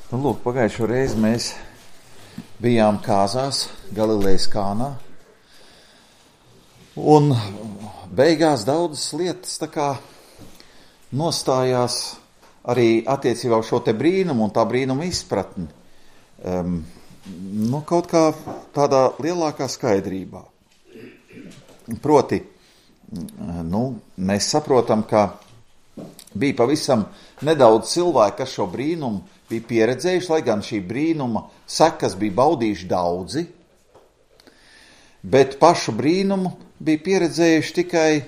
Nu, lūk, pagājušo reizi mēs bijām kāzās Galilejas Kānā, un beigās daudzas lietas tā kā nostājās arī attiecībā uz šo te brīnumu un tā brīnuma izpratni. Kaut kā tādā lielākā skaidrībā. Proti, mēs saprotam, ka bija pavisam nedaudz cilvēku, kas šo brīnumu bija pieredzējuši, lai gan šī brīnuma sekas bija baudījuši daudzi, bet pašu brīnumu bija pieredzējuši tikai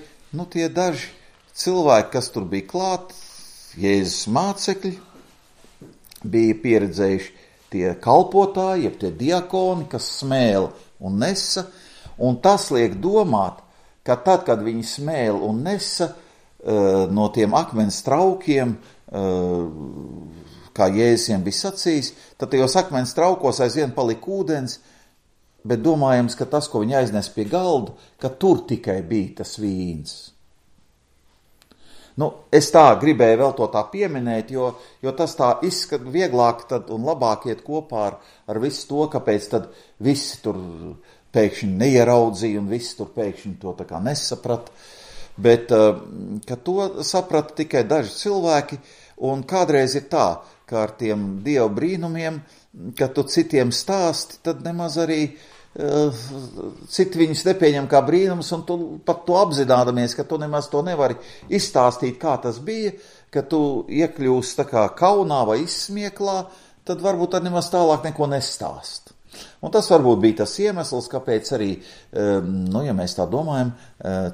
tie daži cilvēki, kas tur bija klāt, Jēzus mācekļi, bija pieredzējuši tie kalpotāji, jeb tie diakoni, kas smēla un nesa, un tas liek domāt, ka tad, kad viņi smēla un nesa no tiem akmens traukiem, kā Jēzus bija sacījis, tad tajos akmens traukos aizvien palika ūdens, bet domājams, ka tas, ko viņi aiznes pie galda, ka tur tikai bija tas vīns. Es tā gribēju vēl to tā pieminēt, jo tas tā izskat vieglāk tad un labāk iet kopā ar visu to, kāpēc tad visi tur pēkšņi neieraudzīja un visi tur pēkšņi to tā kā nesaprata, bet ka to saprata tikai daži cilvēki, un kādreiz ir tā, ka ar tiem Dieva brīnumiem, kad tu citiem stāsti, tad nemaz arī citi viņus nepieņem kā brīnums, un tu pat to apzinādamies, ka tu nemaz to nevari izstāstīt, kā tas bija, ka tu iekļūsi tā kā kaunā vai izsmieklā, tad varbūt tad nemaz tālāk neko nestāst. Un tas varbūt bija tas iemesls, kāpēc arī, ja mēs tā domājam,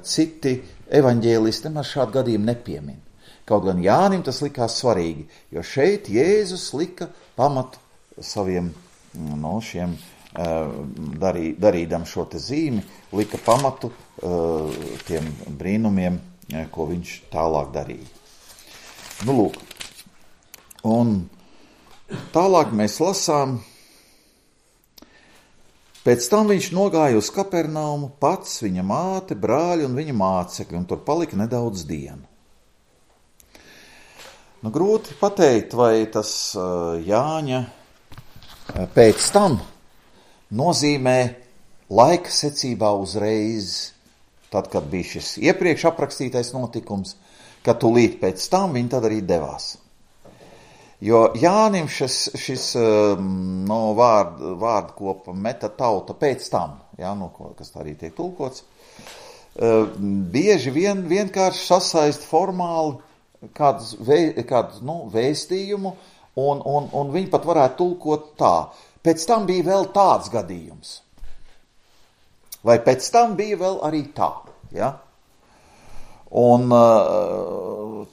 citi evaņģēlisti nemaz šādu gadījumu nepiemin. Kaut gan Jānim tas likās svarīgi, jo šeit Jēzus lika pamatu saviem šiem darīdam šo te zīmi, lika pamatu tiem brīnumiem, ko viņš tālāk darīja. Lūk, un tālāk mēs lasām, pēc tam viņš nogāja uz Kapernaumu, pats, viņa māte, brāļi un viņa mācekļi, un tur palika nedaudz dienu. Grūti pateikt, vai tas Jāņa pēc tam nozīmē laika secībā uzreiz, tad, kad bija šis iepriekš aprakstītais notikums, ka tūlīt pēc tam viņi tad arī devās. Jo Jānim šis vārdkopa meta tauta pēc tam, kas tā arī tiek tulkots, bieži vienkārši sasaist formāli kādu vēstījumu, un viņi pat varētu tulkot tā. Pēc tam bija vēl tāds gadījums. Vai pēc tam bija vēl arī tā, ja? Un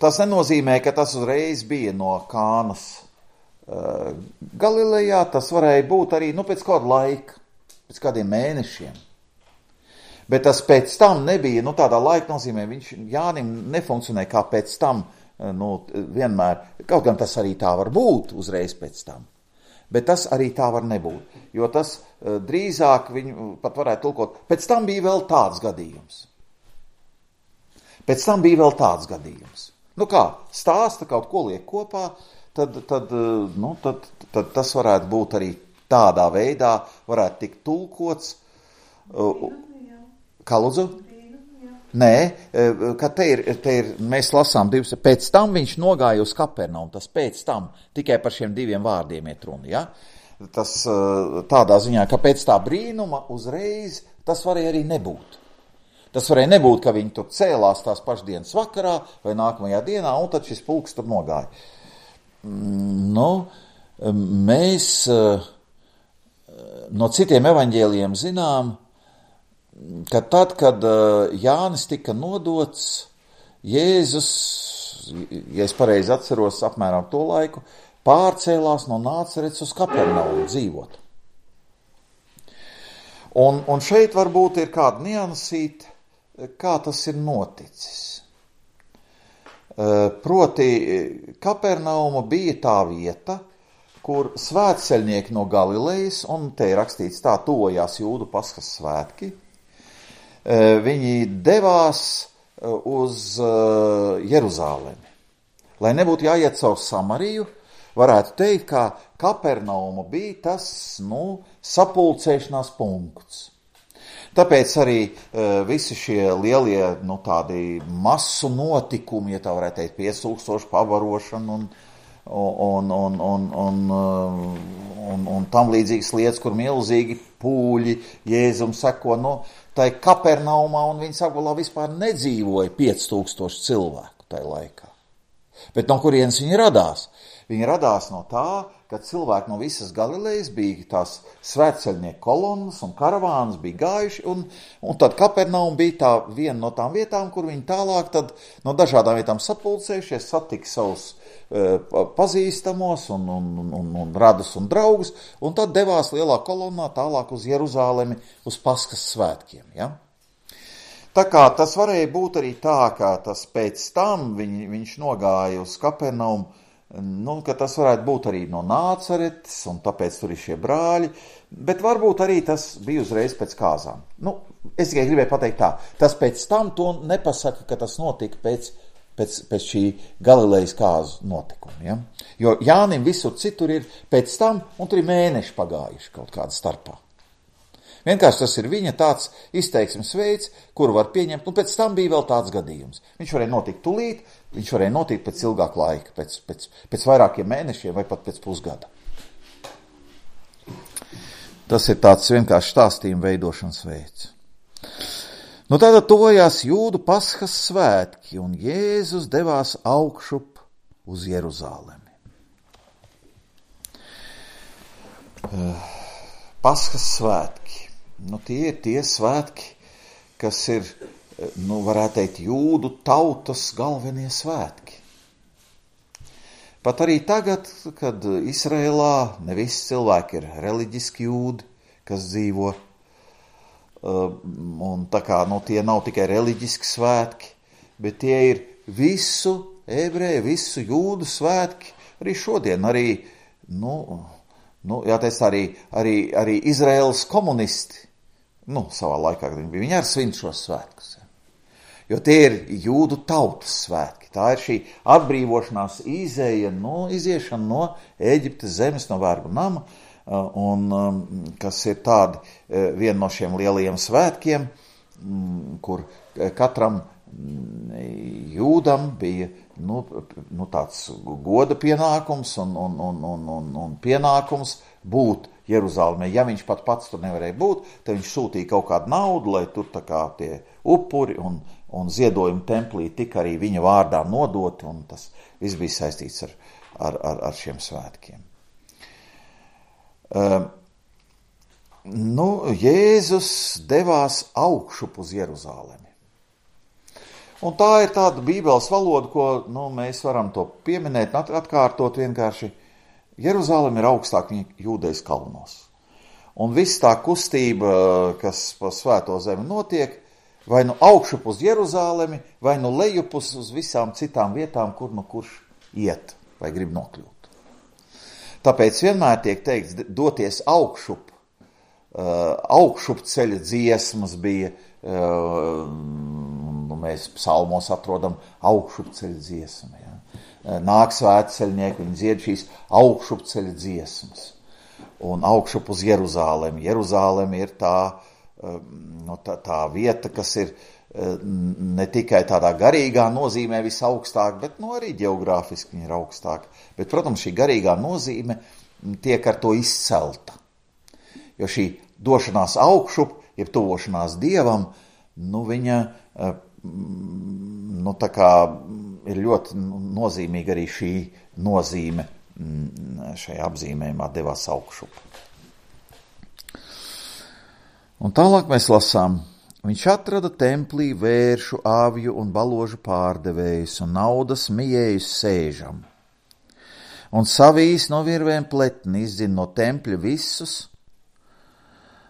tas nenozīmē, ka tas uzreiz bija no Kānas Galilejā, tas varēja būt arī pēc kāda laika, pēc kādiem mēnešiem. Bet tas pēc tam nebija, tādā laika nozīmē, viņš Jānim nefunkcionē kā pēc tam, vienmēr, kaut gan tas arī tā var būt uzreiz pēc tam, bet tas arī tā var nebūt, jo tas drīzāk viņu pat varētu tulkot, pēc tam bija vēl tāds gadījums. Pēc tam bija vēl tāds gadījums. Stāsta kaut ko liek kopā, tad tas varētu būt arī tādā veidā, varētu tikt tulkots. Kā lūdzu? Nē, ka te ir, mēs lasām divas, pēc tam viņš nogāja uz Kapernaumu, tas pēc tam, tikai par šiem diviem vārdiem iet runa, ja? Tas tādā ziņā, ka pēc tā brīnuma uzreiz tas varēja arī nebūt. Tas varēja nebūt, ka viņi tur cēlās tās pašdienas vakarā vai nākamajā dienā, un tad šis pulks tur nogāja. Mēs no citiem evaņģēlijiem zinām, ka tad, kad Jānis tika nodots, Jēzus, ja es pareizi atceros apmēram to laiku, pārcēlās no Nācerets uz Kapernaumu dzīvot. Un šeit varbūt ir kāda niansīte, kā tas ir noticis. Proti, Kapernauma bija tā vieta, kur svētceļnieki no Galilejas, un te ir rakstīts tā, tuvojās Jūdu Paskas svētki, viņi devās uz Jeruzālemi. Lai nebūtu jāiet caur Samariju, varētu teikt, ka Kapernauma bija tas, sapulcēšanās punkts. Tāpēc arī visi šie lielie, tādi masu notikumi, ja tā varētu teikt, 5000 pavarošana un tam līdzīgas lietas, kur milzīgi pūļi Jēzum seko, tai Kapernaumā, un viņas apgalā vispār nedzīvoja 5000 cilvēku tajā laikā. Bet no kurienes viņi radās? Viņi radās no tā, ka cilvēki no visas Galilejas bija tās svētceļnieku kolonnas un karavānas bija gājuši, un tad Kapernauma bija tā viena no tām vietām, kur viņi tālāk tad no dažādām vietām sapulcējušies, satika savus pazīstamos un radus un draugus, un tad devās lielā kolonnā tālāk uz Jeruzālemi uz Paskas svētkiem, ja? Tā kā tas varēja būt arī tā, ka tas pēc tam viņš nogāja uz Kapernaumu, ka tas varētu būt arī no Nācaretes, un tāpēc tur ir šie brāļi, bet varbūt arī tas bija uzreiz pēc kāzām. Es tikai gribēju pateikt tā, tas pēc tam to nepasaka, ka tas notika pēc šī Galilejas kāzu notikuma, ja? Jo Jānim visur citur ir pēc tam, un tur ir mēneši pagājuši kaut kāda starpā. Vienkārši tas ir viņa tāds izteiksmes veids, kuru var pieņemt, un pēc tam bija vēl tāds gadījums. Viņš varēja notikt tulīt, viņš varēja notikt pēc ilgāka laika, pēc vairākiem mēnešiem vai pat pēc pusgada. Tas ir tāds vienkārši stāstījuma veidošanas veids. Tātad tojās Jūdu Paskas svētki, un Jēzus devās augšup uz Jeruzālemi. Paskas svētki. Tie ir tie svētki, kas ir, varētu teikt, Jūdu tautas galvenie svētki. Pat arī tagad, kad Izrēlā ne visi cilvēki ir reliģiski jūdi, kas dzīvo, un tā kā tie nav tikai reliģiski svētki, bet tie ir visu ebreju, visu jūdu svētki, arī šodien, jāteic arī Izraēlas komunisti, savā laikā, kad viņi arī svin šos svētkus. Jo tie ir jūdu tautas svētki. Tā ir šī atbrīvošanās iziešana no Ēģiptes zemes, no vergu nama, un kas ir tādi viena no šiem lielajiem svētkiem, kur katram jūdam bija tāds goda pienākums un pienākums būt Jeruzālēmē. Ja viņš pats tur nevarēja būt, tad viņš sūtīja kaut kādu naudu, lai tur tā kā tie upuri un ziedojumi templī tika arī viņa vārdā nodoti, un tas viss bija saistīts ar šiem svētkiem. Jēzus devās augšup uz Jeruzālemi. Un tā ir tāda bībeles valoda, ko mēs varam to pieminēt, atkārtot vienkārši. Jeruzāleme ir augstāk viņa Jūdejas kalnos. Un viss tā kustība, kas pa svēto zemi notiek, vai augšup uz Jeruzālemi, vai lejup uz visām citām vietām, kurš iet vai grib nokļūt. Tāpēc vienmēr tiek teikts doties augšup. Augšup ceļa dziesmas bija, mēs psalmos atrodam augšup ceļa dziesmu. Ja? Nāk svētceļnieki, viņi dzied šīs augšup ceļa dziesmas. Un augšup uz Jeruzālemi. Jeruzālemi ir tā vieta, kas ir ne tikai tādā garīgā nozīmē visaugstāk, bet arī ģeogrāfiski viņa ir augstāka. Bet, protams, šī garīgā nozīme tiek ar to izcelta. Jo šī došanās augšup, jeb tuvošanās Dievam, viņa tā kā ir ļoti nozīmīga arī šī nozīme šajā apzīmējumā devās augšup. Un tālāk mēs lasām. Viņš atrada templī vēršu, avju un baložu pārdevējus un naudas mijējus sēžam. Un savīs no virvēm pletni izdzina no tempļa visus,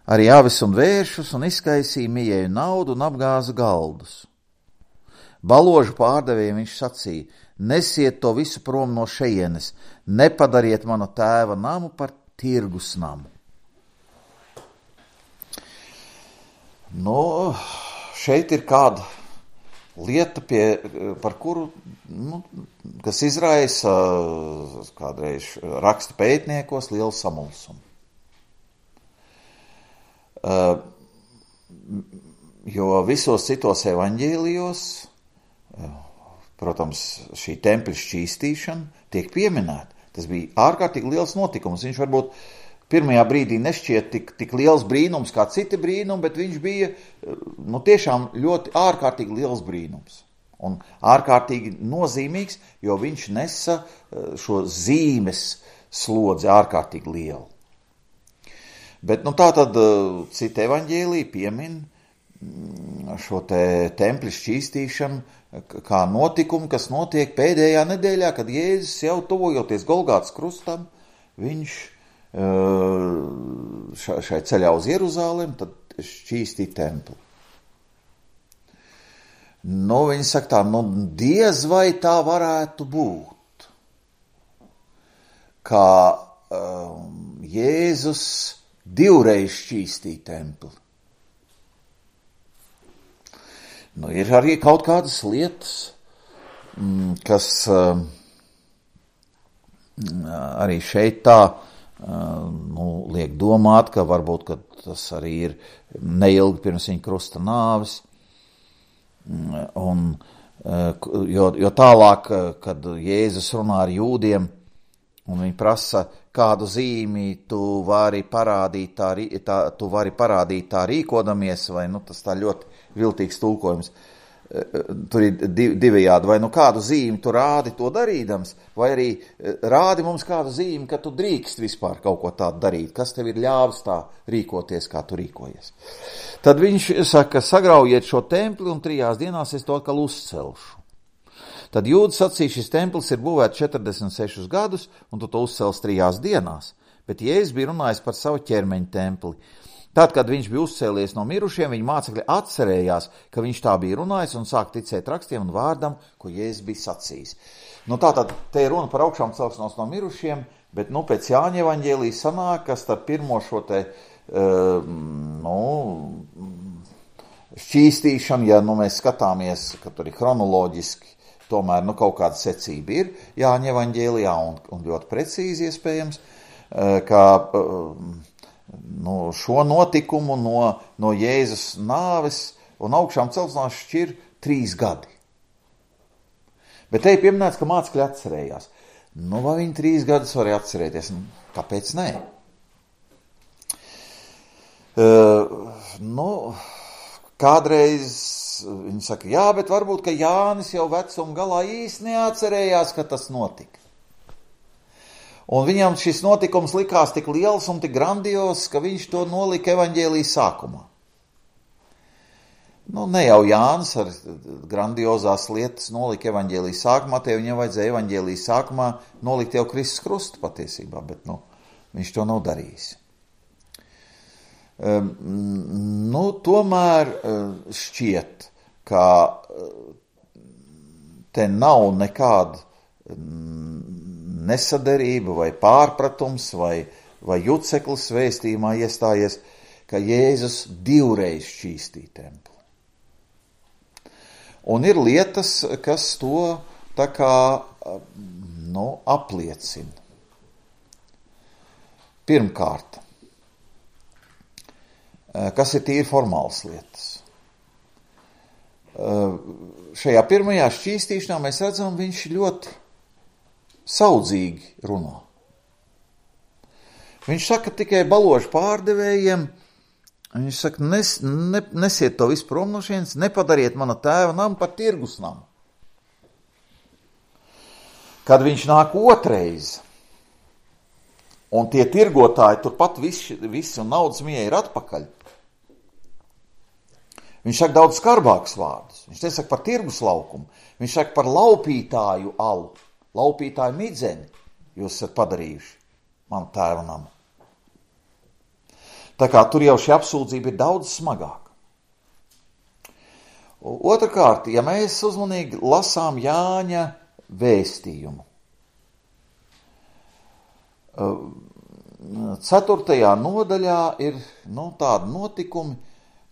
arī avis un vēršus, un izkaisīja mijēju naudu un apgāza galdus. Baložu pārdevējiem viņš sacīja: nesiet to visu prom no šejienes, nepadariet manu tēva namu par tirgus namu. Šeit ir kāda lieta, par kuru, kas izraisa kādreiz raksta pētniekos lielu samulsumu. Jo visos citos evaņģēlijos, protams, šī tempļa šķīstīšana tiek pieminēta. Tas bija ārkārtīgi liels notikums. Viņš varbūt pirmajā brīdī nešķiet tik liels brīnums kā citi brīnumi, bet viņš bija tiešām ļoti ārkārtīgi liels brīnums. Un ārkārtīgi nozīmīgs, jo viņš nesa šo zīmes slodzi ārkārtīgi lielu. Bet tā tad cita evaņģēlija piemin šo te tempļa šķīstīšanu kā notikumu, kas notiek pēdējā nedēļā, kad Jēzus jau tuvojoties Golgātas krustam, viņš šai ceļā uz Jeruzalem, tad šķīstīja templi. Viņi saka tā, diez vai tā varētu būt, kā Jēzus divreiz šķīstīja templi. Ir arī kaut kādas lietas, kas arī šeit tā liek domāt, ka varbūt ka tas arī ir neilgi pirms viņa krusta nāves. Jo tālāk, kad Jēzus runā ar jūdiem, un viņi prasa, kādu zīmi tu vari parādīt tā rīkodamies, vai tas tā ļoti viltīgs tulkojums. Tur ir divējādi, vai kādu zīmi tu rādi to darīdams, vai arī rādi mums kādu zīmi, ka tu drīkst vispār kaut ko tādu darīt, kas tev ir ļāvis tā rīkoties, kā tu rīkojies. Tad viņš saka, sagraujiet šo templi un 3 dienās es to atkal uzcelšu. Tad jūdi sacīja, šis templis ir būvēts 46 gadus, un tu to uzcels 3 dienās. Bet Jēzus bija runājis par savu ķermeņa templi. Tad, kad viņš bija uzcēlies no mirušiem, viņa mācekļi atcerējās, ka viņš tā bija runājis un sāk ticēt rakstiem un vārdam, ko Jēzus bija sacījis. Tātad te ir runa par augšām celšanos no mirušiem, bet pēc Jāņa evaņģēlija sanāk, ka starp pirmo šo te šķīstīšanu, ja mēs skatāmies, ka tur ir chronoloģiski, tomēr kaut kāda secība ir Jāņa evaņģēlijā un ļoti precīzi iespējams, ka šo notikumu no Jēzus nāves un augšām celšanās šķir 3 gadi. Bet te ir pieminēts, ka mācekļi atcerējās. Vai viņi 3 gadus varēja atcerēties? Kāpēc nē? Kādreiz viņi saka, jā, bet varbūt, ka Jānis jau vecuma galā īsti neatcerējās, ka tas notika. Un viņam šis notikums likās tik liels un tik grandios, ka viņš to nolika evaņģēlijas sākumā. Ne jau Jānis ar grandiozās lietas nolika evaņģēlijas sākumā, te viņam vajadzēja evaņģēlijas sākumā nolikt jau Kristus krustu patiesībā, bet viņš to nav darījis. Tomēr šķiet, ka te nav nekāda nesaderība vai pārpratums vai juceklis vēstījumā iestājies, ka Jēzus 2 reiz šķīstīja templi. Un ir lietas, kas to tā kā apliecina. Pirmkārt, kas ir tīri formāls lietas. Šajā pirmajā šķīstīšanā mēs redzam, viņš ļoti saudzīgi runā. Viņš saka tikai baložu pārdevējiem, viņš saka, nesiet to visu prom no šienes, nepadariet mana tēva namu par tirgus namu. Kad viņš nāk otrais, un tie tirgotāji turpat visi un naudas mie ir atpakaļ, viņš saka daudz skarbākus vārdus. Viņš nesaka par tirgus laukumu, viņš saka par laupītāju alu. Laupītāju midzeni jūs esat padarījuši manu tēva namu. Tā kā tur jau šī apsūdzība ir daudz smagāka. Otrakārt, ja mēs uzmanīgi lasām Jāņa vēstījumu, 4. nodaļā ir tādi notikumi,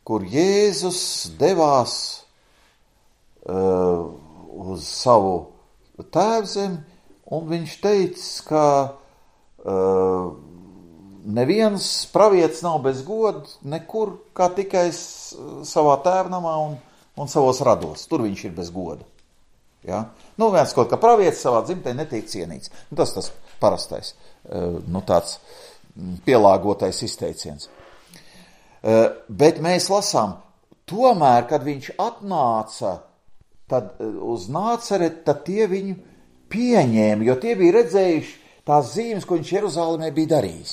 kur Jēzus devās uz savu tēvzemi, un viņš teica, ka neviens pravietis nav bez goda nekur, kā tikai savā tēvnamā un savos rados. Tur viņš ir bez goda. Ja? Viens kaut kā pravietis savā dzimtē netiek cienīts. Tas parastais, tāds pielāgotais izteiciens. Bet mēs lasām, tomēr, kad viņš atnāca tad uz Nācereti, tad tie viņu pieņēma, jo tie bija redzējuši tās zīmes, ko viņš Jeruzālēmē bija darījis.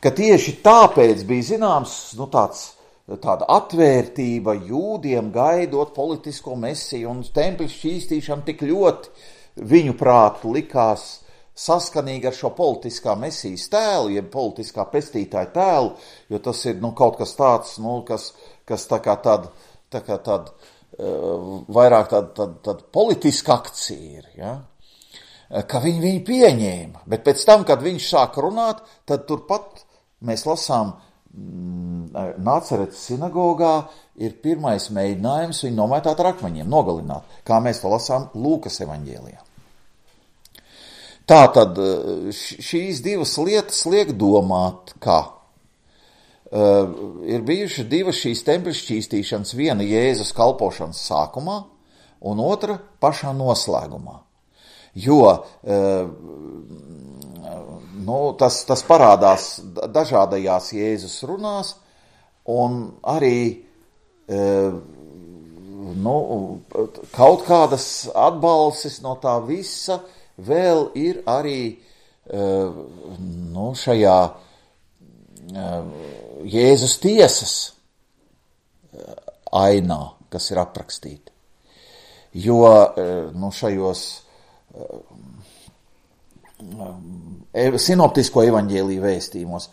Ka tieši tāpēc bija zināms, tāda atvērtība jūdiem gaidot politisko mesiju, un tempļa šķīstīšana tik ļoti viņu prātu likās saskanīgi ar šo politiskā mesijas tēlu, jeb politiskā pestītāja tēlu, jo tas ir kaut kas tāds, kas tā kā tāda vairāk tāda politiska akcija ir, ja? Ka viņi pieņēma, bet pēc tam, kad viņš sāk runāt, tad turpat mēs lasām Nāceretes sinagogā ir pirmais mēģinājums viņu nomētāt ar akmeņiem, nogalināt, kā mēs to lasām Lūkas evaņģēlijā. Tātad šīs divas lietas liek domāt, ka ir bijušas divas šīs tempļa šķīstīšanas, viena Jēzus kalpošanas sākumā un otra pašā noslēgumā. Jo tas parādās dažādajās Jēzus runās, un arī kaut kādas atbalsis no tā visa vēl ir arī šajā Jēzus tiesas ainā, kas ir aprakstīta. Jo šajos sinoptisko evaņģēliju vēstījumos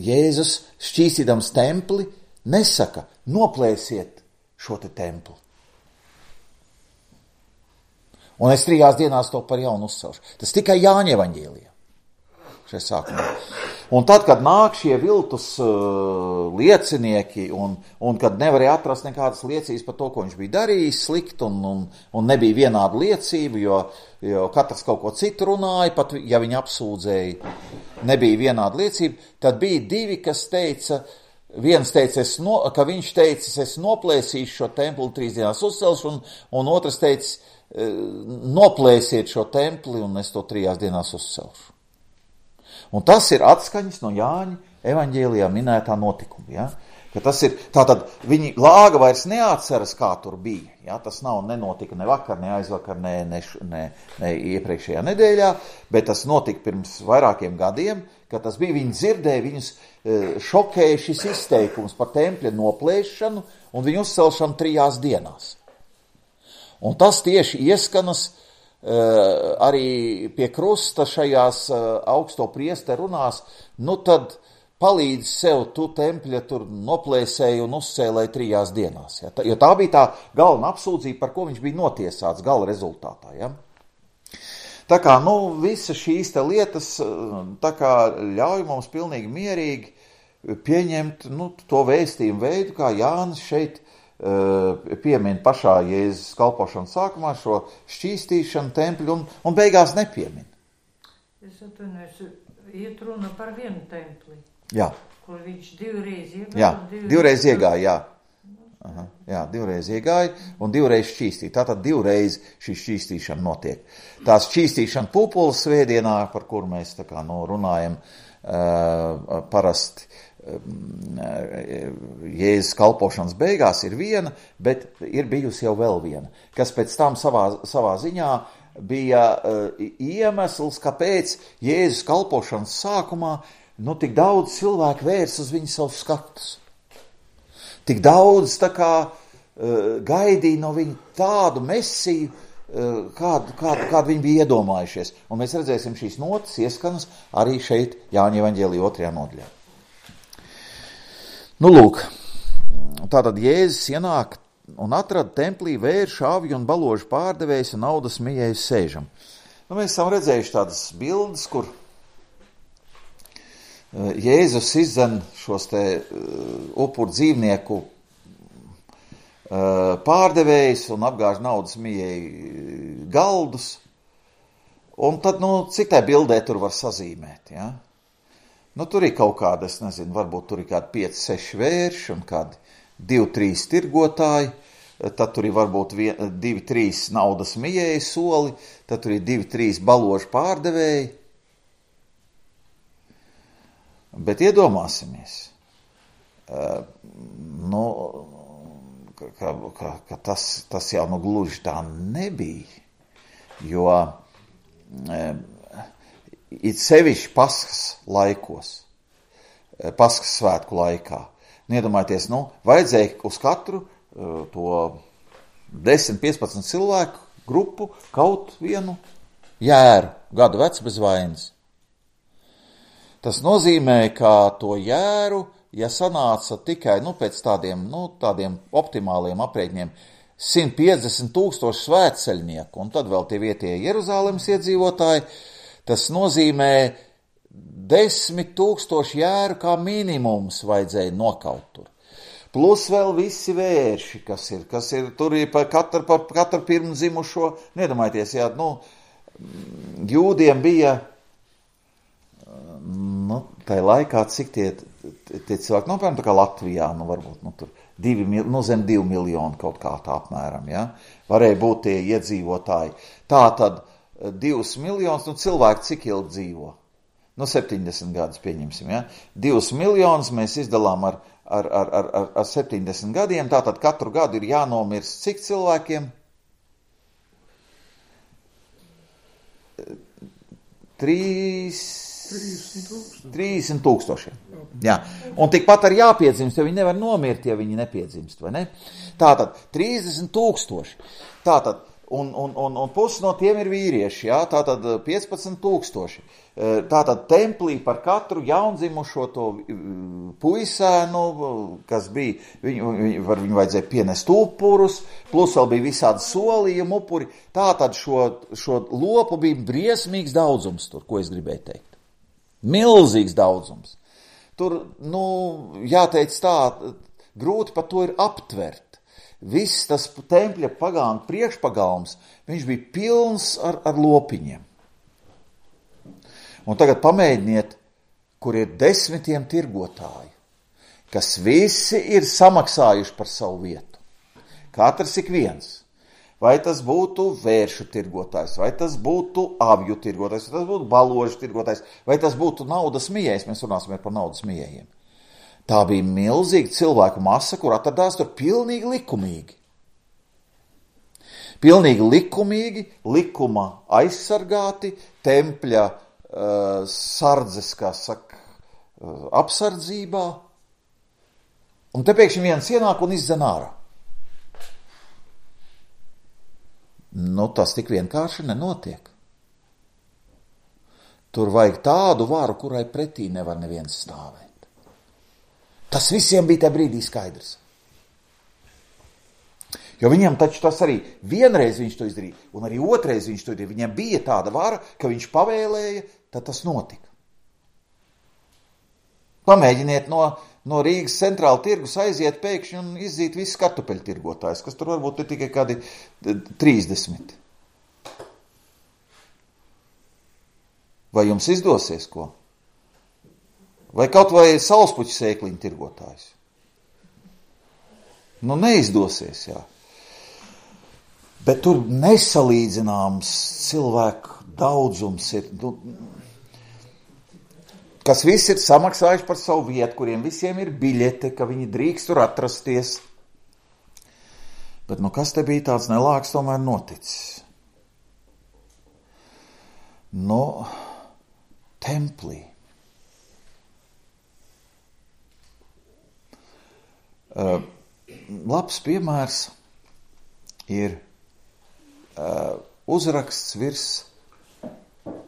Jēzus šķīstīdams templi nesaka, noplēsiet šo te templi. Un es 3 dienās to par jaunu uzcelšu. Tas tikai Jāņa evaņģēlijā. Šajā sākumā. Un tad, kad nāk šie viltus liecinieki, un kad nevarēja atrast nekādas liecības par to, ko viņš bija darījis slikt, un nebija vienāda liecība, jo katrs kaut ko citu runāja, pat ja viņi apsūdzēja, nebija vienāda liecība, tad bija 2, kas teica, viens teica, ka viņš teica, es noplēsīšu šo templi 3 dienās uzcelšu, un otrs teica, noplēsiet šo templi, un es to 3 dienās uzcelšu. Un tas ir atskaņas no Jāņa evaņģēlijā minētā notikuma. Ja? Ka tas ir, tātad viņi lāga vairs neatceras, kā tur bija. Ja? Tas nenotika ne vakar, ne aizvakar, ne iepriekšējā nedēļā, bet tas notika pirms vairākiem gadiem, kad tas bija, viņi dzirdēja, viņus šokēja šis izteikums par tempļa noplēšanu un viņu uzcelšanu 3 dienās. Un tas tieši ieskanas arī pie krusta šajās augsto priesteru runās, tad palīdz sev tu tempļa tur noplēsēji un uzcēlēji 3 dienās. Ja? Jo tā bija tā galvenā apsūdzība, par ko viņš bija notiesāts gala rezultātā. Ja? Tā kā, visas šīs te lietas tā kā ļauj mums pilnīgi mierīgi pieņemt to vēstījumu veidu, kā Jānis šeit piemin pašā Jēzus kalpošanas sākumā šo šķīstīšanu tempļu un beigās nepiemin. Es atvainojos, iet runa par vienu templi. Jā. Kur viņš 2 iegāja. Jā, 2 iegāja, jā. Aha, jā, 2 iegāja un 2 šķīstīja. Tātad 2 šī šķīstīšana notiek. Tās šķīstīšana Pūpoles svētdienā, par kuru mēs tā kā runājam parasti, Jēzus kalpošanas beigās ir viena, bet ir bijusi jau vēl viena, kas pēc tam savā ziņā bija iemesls, kāpēc Jēzus kalpošanas sākumā tik daudz cilvēku vērs uz viņu savus skatus. Tik daudz tā kā gaidīja no viņa tādu mesiju, kādu viņi bija iedomājušies. Un mēs redzēsim šīs notas ieskanas arī šeit Jāņa evaņģēlijā 2. nodaļā. Lūk, tātad Jēzus ienāk un atrada templī vēršu, avju un baložu pārdevējus un naudas mijējus sēžam. Mēs esam redzējuši tādas bildes, kur Jēzus izdzen šos te upuru dzīvnieku pārdevējs un apgāž naudas mijai galdus. Un tad, cik tā bildē tur var sazīmēt, ja? Tur ir kaut kāda, es nezinu, varbūt tur ir kādi 5-6 vērši un kādi 2-3 tirgotāji, tad tur ir varbūt 2-3 naudas mijai soli, tad tur ir 2-3 baložu pārdevēji. Bet iedomāsimies, ka tas jau gluži tā nebija, jo it sevišķi Paskas laikos, Paskas svētku laikā. Iedomājieties, vajadzēja uz katru to 10-15 cilvēku grupu kaut vienu jēru, gadu vecs bez vainas. Tas nozīmē, ka to jēru, ja sanāca tikai pēc tādiem optimāliem aprēķiniem 150,000 svētceļnieku, un tad vēl tie vietējie Jeruzālemes iedzīvotāji, tas nozīmē 10,000 jēru kā minimums vajadzēja nokaut tur. Plus vēl visi vērši, kas ir tur ir par katru pirmdzimušo. Nedomājieties, jā, jūdiem bija, tajā laikā, cik tie cilvēki, piemēram, tā kā Latvijā, varbūt, tur zem 2 miljoni kaut kā tā apmēram, ja, varēja būt tie iedzīvotāji. Tā tad 2 miljonus, cilvēki cik ilgi dzīvo? 70 gadus pieņemsim, ja. 2 miljonus mēs izdalām ar 70 gadiem, tātad katru gadu ir jānomirst cik cilvēkiem? 30,000. Jā. Un tikpat arī jāpiedzimst, jo viņi nevar nomirt, ja viņi nepiedzimst, vai ne? Tātad 30,000. Tātad, un pusi no tiem ir vīrieši, jā, tātad 15,000. Tātad templī par katru jaundzimušo to puisēnu, kas bija, viņu vajadzēja pienest upurus, plus vēl bija visādi solījumi upuri. Tātad šo lopu bija briesmīgs daudzums tur, ko es gribēju teikt. Milzīgs daudzums. Tur, jāteic tā, grūti par to ir aptvert. Viss tas tempļa pagānu priekšpagalms, viņš bija pilns ar lopiņiem. Un tagad pamēģiniet, kur ir 10 tirgotāji, kas visi ir samaksājuši par savu vietu. Katrs ik viens. Vai tas būtu vēršu tirgotājs, vai tas būtu avju tirgotājs, vai tas būtu baložu tirgotājs, vai tas būtu naudas mijējs, mēs runāsim par naudas mijējiem. Tā bija milzīga cilvēku masa, kur atradās tur pilnīgi likumīgi. Pilnīgi likumīgi, likuma aizsargāti, tempļa sardzes, kā saka, apsardzībā. Un te pēkšņi viens ienāk un izdzen ārā. Tas tik vienkārši nenotiek. Tur vajag tādu varu, kurai pretī nevar neviens stāvēt. Tas visiem bija tajā brīdī skaidrs. Jo viņam taču tas arī vienreiz viņš to izdarīja, un arī otrais viņš to izdarīja. Viņam bija tāda vara, ka viņš pavēlēja, tad tas notika. Pamēģiniet no Rīgas centrāla tirgus aiziet pēkšņi un izzīt visus kartupeļu tirgotājus, kas tur varbūt ir tikai kādi 30. Vai jums izdosies ko? Vai kaut vai saulspuķu sēkliņu tirgotājs? Neizdosies, jā. Bet tur nesalīdzināms cilvēku daudzums ir, kas visi ir samaksājuši par savu vietu, kuriem visiem ir biļete, ka viņi drīkst tur atrasties. Bet kas te bija tāds nelāks tomēr noticis? Templī. Labs piemērs ir uzraksts virs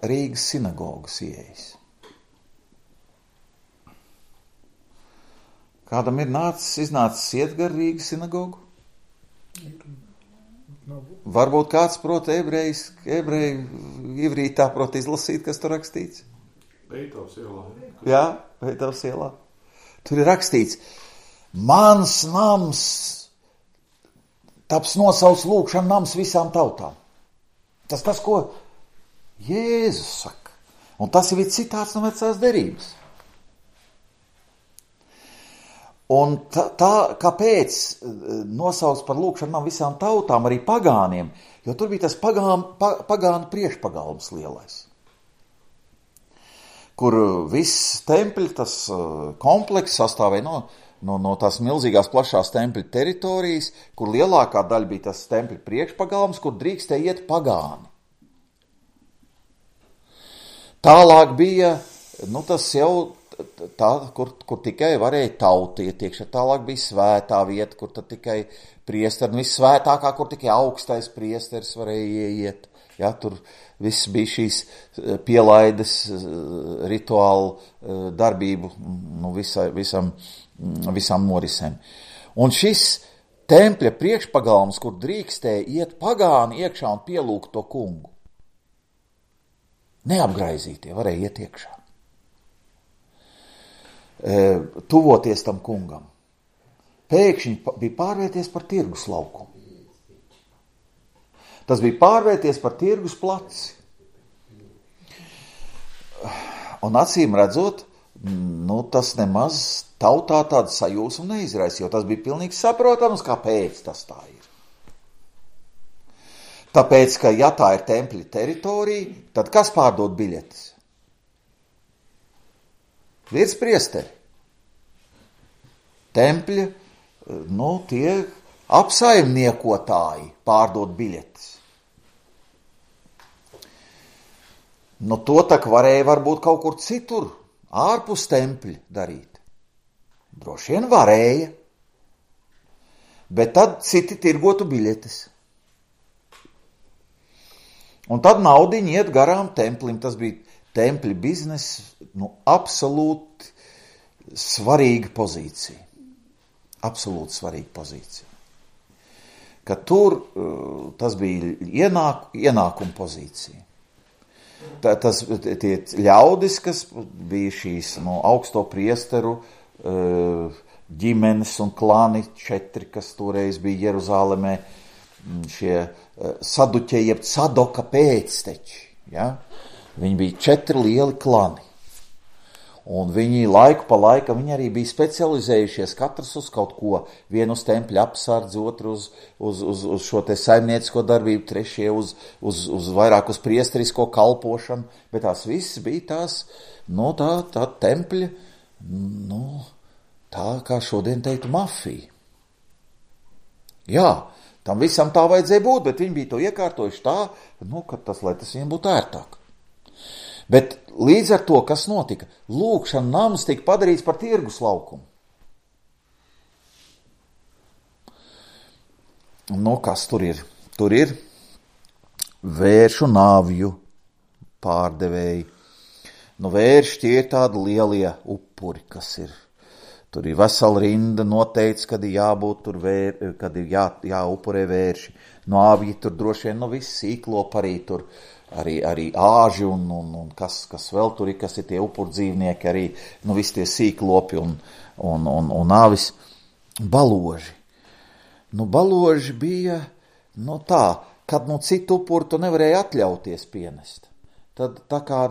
Rīgas sinagogas ieejas. Kādam ir iznācis iet gar Rīgas sinagogu? Varbūt kāds prot ebreju ivrītā prot izlasīt, kas tur rakstīts? Veitavas ielā. Jā, Veitavas ielā. Tur ir rakstīts: mans nams taps nosauc lūkšana nams visām tautām. Tas, ko Jēzus saka. Un tas ir citāts no vecās derības. Un tā kāpēc nosauc par lūkšanu nam visām tautām, arī pagāniem, jo tur bija tas pagānu priekšpagalms lielais. Kur viss tempļi, tas kompleks sastāvēja no tās milzīgās plašās tempļa teritorijas, kur lielākā daļa bija tas tempļa priekšpagalms, kur drīkstēja iet pagāni. Tālāk bija, tas jau tā, kur tikai varēja tauti iet iekšā. Tālāk bija svētā vieta, kur tad tikai priesteri, vissvētākā, kur tikai augstais priesteris varēja ieiet. Ja, tur viss bija šīs pielaides rituālu darbību visām norisēm. Un šis tempļa priekšpagalms, kur drīkstēja iet pagāni iekšā un pielūgt to kungu. Neapgraizītie varēja iet iekšā. Tuvoties tam kungam. Pēkšņi bija pārvērties par tirgus laukumu. Tas bija pārvērties par tirgus placi. Un acīm redzot, tas nemaz tautā tādu sajūsmu neizraisa, jo tas bija pilnīgi saprotams, kāpēc tas tā ir. Tāpēc, ka ja tā ir tempļa teritorija, tad kas pārdod biļetes? Virspriesteri. Tempļa, tie apsaimniekotāji pārdod biļetes. To tak varēja varbūt kaut kur citur, ārpus tempļa darīt. Droši vien varēja. Bet tad citi tirgotu biļetes. Un tad naudiņi iet garām templim. Tas bija tempļa biznesa, absolūti svarīga pozīcija. Absolūti svarīga pozīcija. Ka tur tas bija ienākuma pozīcija. Tie ļaudis, kas bija šīs augsto priesteru ģimenes un klani 4, kas toreiz bija Jeruzālemē, šie saduķeji, jeb Sadoka pēcteči. Ja? Viņi bija 4 lieli klani. Un viņi laiku pa laikam viņi arī bija specializējušies katrs uz kaut ko. Vienu uz tempļa apsardzi, otru uz šo te saimniecisko darbību, trešie uz vairāk uz priesterisko kalpošanu. Bet tās visas bija tās, tā tempļa, tā kā šodien teiktu mafija. Jā, tam visam tā vajadzēja būt, bet viņi bija to iekārtojuši tā, ka lai tas viņiem būtu ērtāk. Bet līdz ar to, kas notika, lūkšana nams tika padarīts par tirgus laukumu. Kas tur ir? Tur ir vēršu nāvju pārdevēji. Vērši tie ir tādi lielie upuri, kas ir. Tur ir vesela rinda noteikts, kad ir jābūt tur kad ir jāupurē vērši. Nāvji tur droši vien viss sīklop arī tur. Arī āži un kas vēl tur ir, kas ir tie upurdzīvnieki, arī visi tie sīklopi un āvis. Baloži. Baloži bija tā, kad citu upuru tu nevarēja atļauties pienest. Tad tā kā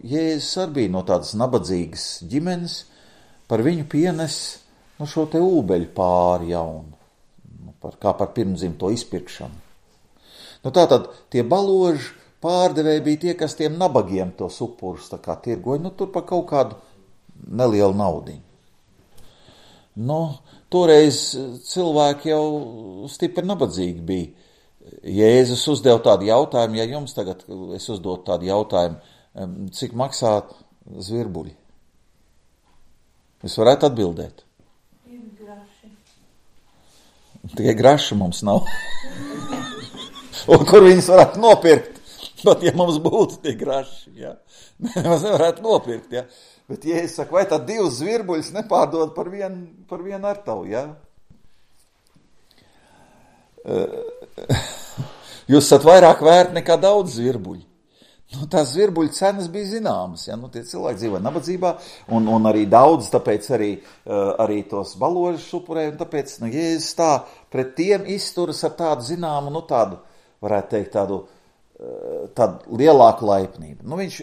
Jēzus arī bija no tādas nabadzīgas ģimenes, par viņu pienes šo te ūbeļu pāri jaunu, kā par pirmdzimto izpirkšanu. Tātad tie baloži pārdevēji bija tie, kas tiem nabagiem tos upurus tā kā tirgoja, tur par kaut kādu nelielu naudiņu. Toreiz cilvēki jau stipri nabadzīgi bija. Jēzus uzdeva tādu jautājumu, ja jums tagad es uzdotu tādu jautājumu, cik maksā zvirbuļi? Jūs varētu atbildēt? Graši. Tikai graši mums nav. Un kur viņus varētu nopirkt? Pat ja mums būtu tie graši, ja? Mēs nevarētu nopirkt, ja? Bet Jēzus saka, vai tad 2 zvirbuļus nepārdod par vienu artavu, ja? Jūs esat vairāk vērt nekā daudz zvirbuļi. Nu, tās zvirbuļu cenas bija zināmas, ja, nu, tie cilvēki dzīvoja nabadzībā, un arī daudz, tāpēc arī tos baložus upurēja, un tāpēc, nu, Jēzus tā pret tiem izturas ar tādu zināmu, nu, tādu, varētu teikt, tādu lielāku laipnību. Nu, viņš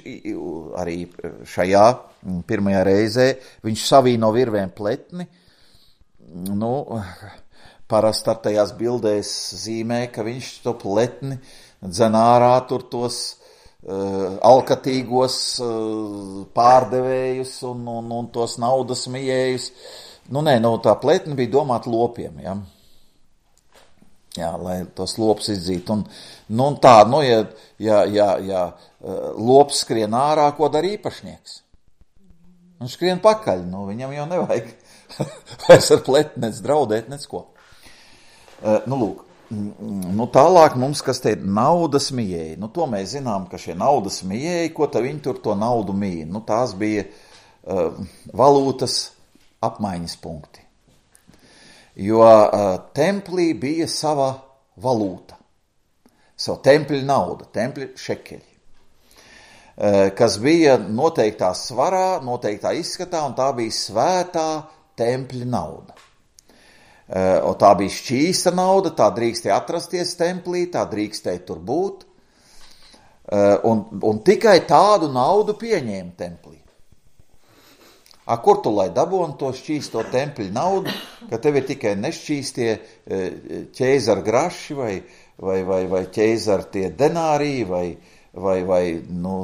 arī šajā pirmajā reizē, viņš savīno virvēm pletni, nu, parasti ar tajās bildēs zīmē, ka viņš to pletni dzen ārā tur tos alkatīgos pārdevējus un tos naudas mijējus. Nu, nē, tā pletni bija domāta lopiem, ja? Jā, lai tos lopus izdzītu. Un tā, nu, ja lops skrien ārā, ko dara īpašnieks? Un skrien pakaļ, nu, viņam jau nevajag vairs ar pletni nec draudēt, nec ko. Nu, lūk. Nu, tālāk mums, kas te ir naudas mijēji. Nu, to mēs zinām, ka šie naudas mijēji, ko tad viņi tur to naudu mīja. Nu, tās bija valūtas apmaiņas punkti. Jo templī bija sava valūta, sava tempļa nauda, tempļa šekeļi, kas bija noteiktā svarā, noteiktā izskatā, un tā bija svētā tempļa nauda. Un tā bija šķīsta nauda, tā drīkstēja atrasties templī, tā drīkstēja tur būt, un tikai tādu naudu pieņēma templī. Kur tu lai dabūni to šķīsto tempļa naudu, ka tev ir tikai nešķīstie ķēzara graši vai ķēzara tie denāriji vai nu,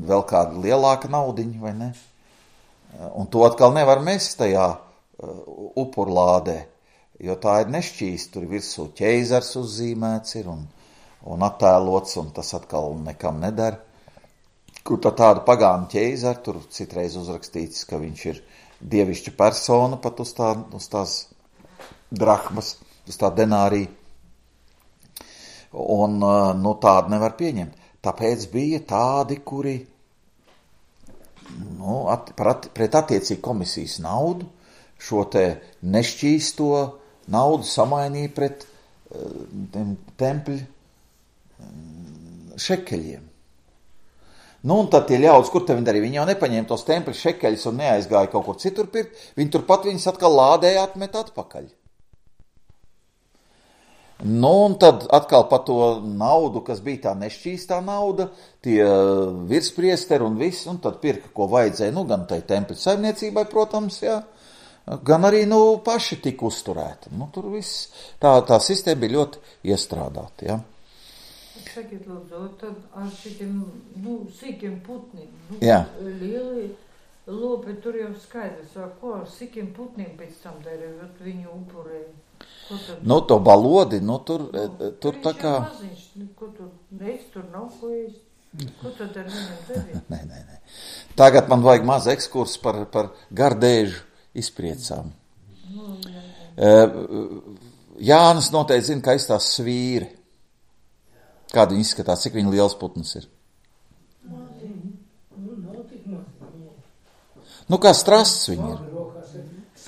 vēl kāda lielāka naudiņa, vai ne? Un to atkal nevar mest tajā upurlādē. Jo tā ir nešķīsta, tur virsū ķēzars uzzīmēts ir un attēlots, un tas atkal nekam nedara. Kur tādu pagānu ķēzaru, tur citreiz uzrakstīts, ka viņš ir dievišķa persona pat uz tās drahmas, uz tā denārija. Un, nu, tādu nevar pieņemt. Tāpēc bija tādi, kuri, nu, pret attiecīgi komisijas naudu, šo te nešķīsto naudu samainīja pret tempļa šekeļiem. Nu, un tad tie ļaudis, kur te viņi darīja? Viņi jau nepaņēma tos tempļa šekeļus un neaizgāja kaut kur citur pirkt, viņi turpat viņus atkal lādēja atmet atpakaļ. Nu, un tad atkal pa to naudu, kas bija tā nešķīstā nauda, tie virspriesteri un viss, un tad pirka, ko vajadzēja, nu, gan tai tempļa saimniecībai, protams, jā, gan arī, nu, paši tika uzturēti. Nu, tur viss, tā sistēma bija ļoti iestrādāta, jā. Sakiet, lūdzu, tad ar šitiem, nu, sīkiem putniem, nu, jā. Lieli lopi, tur jau skaidrs, ko ar sīkiem putniem pēc tam darīja, viņu upurēja. Nu, to balodi, nu, tur tā kā... Maziņš, ko tur nav ko ēst? Ko tad ar viņam darīt? Nē. Tagad man vajag maz ekskurs par gardēžu izpriecām. Nu, jā. Jānis noteikti zina, ka aizstās svīri. Kāda viņa izskatās, cik viņa liels putns ir? Nu, kā strasts viņa ir.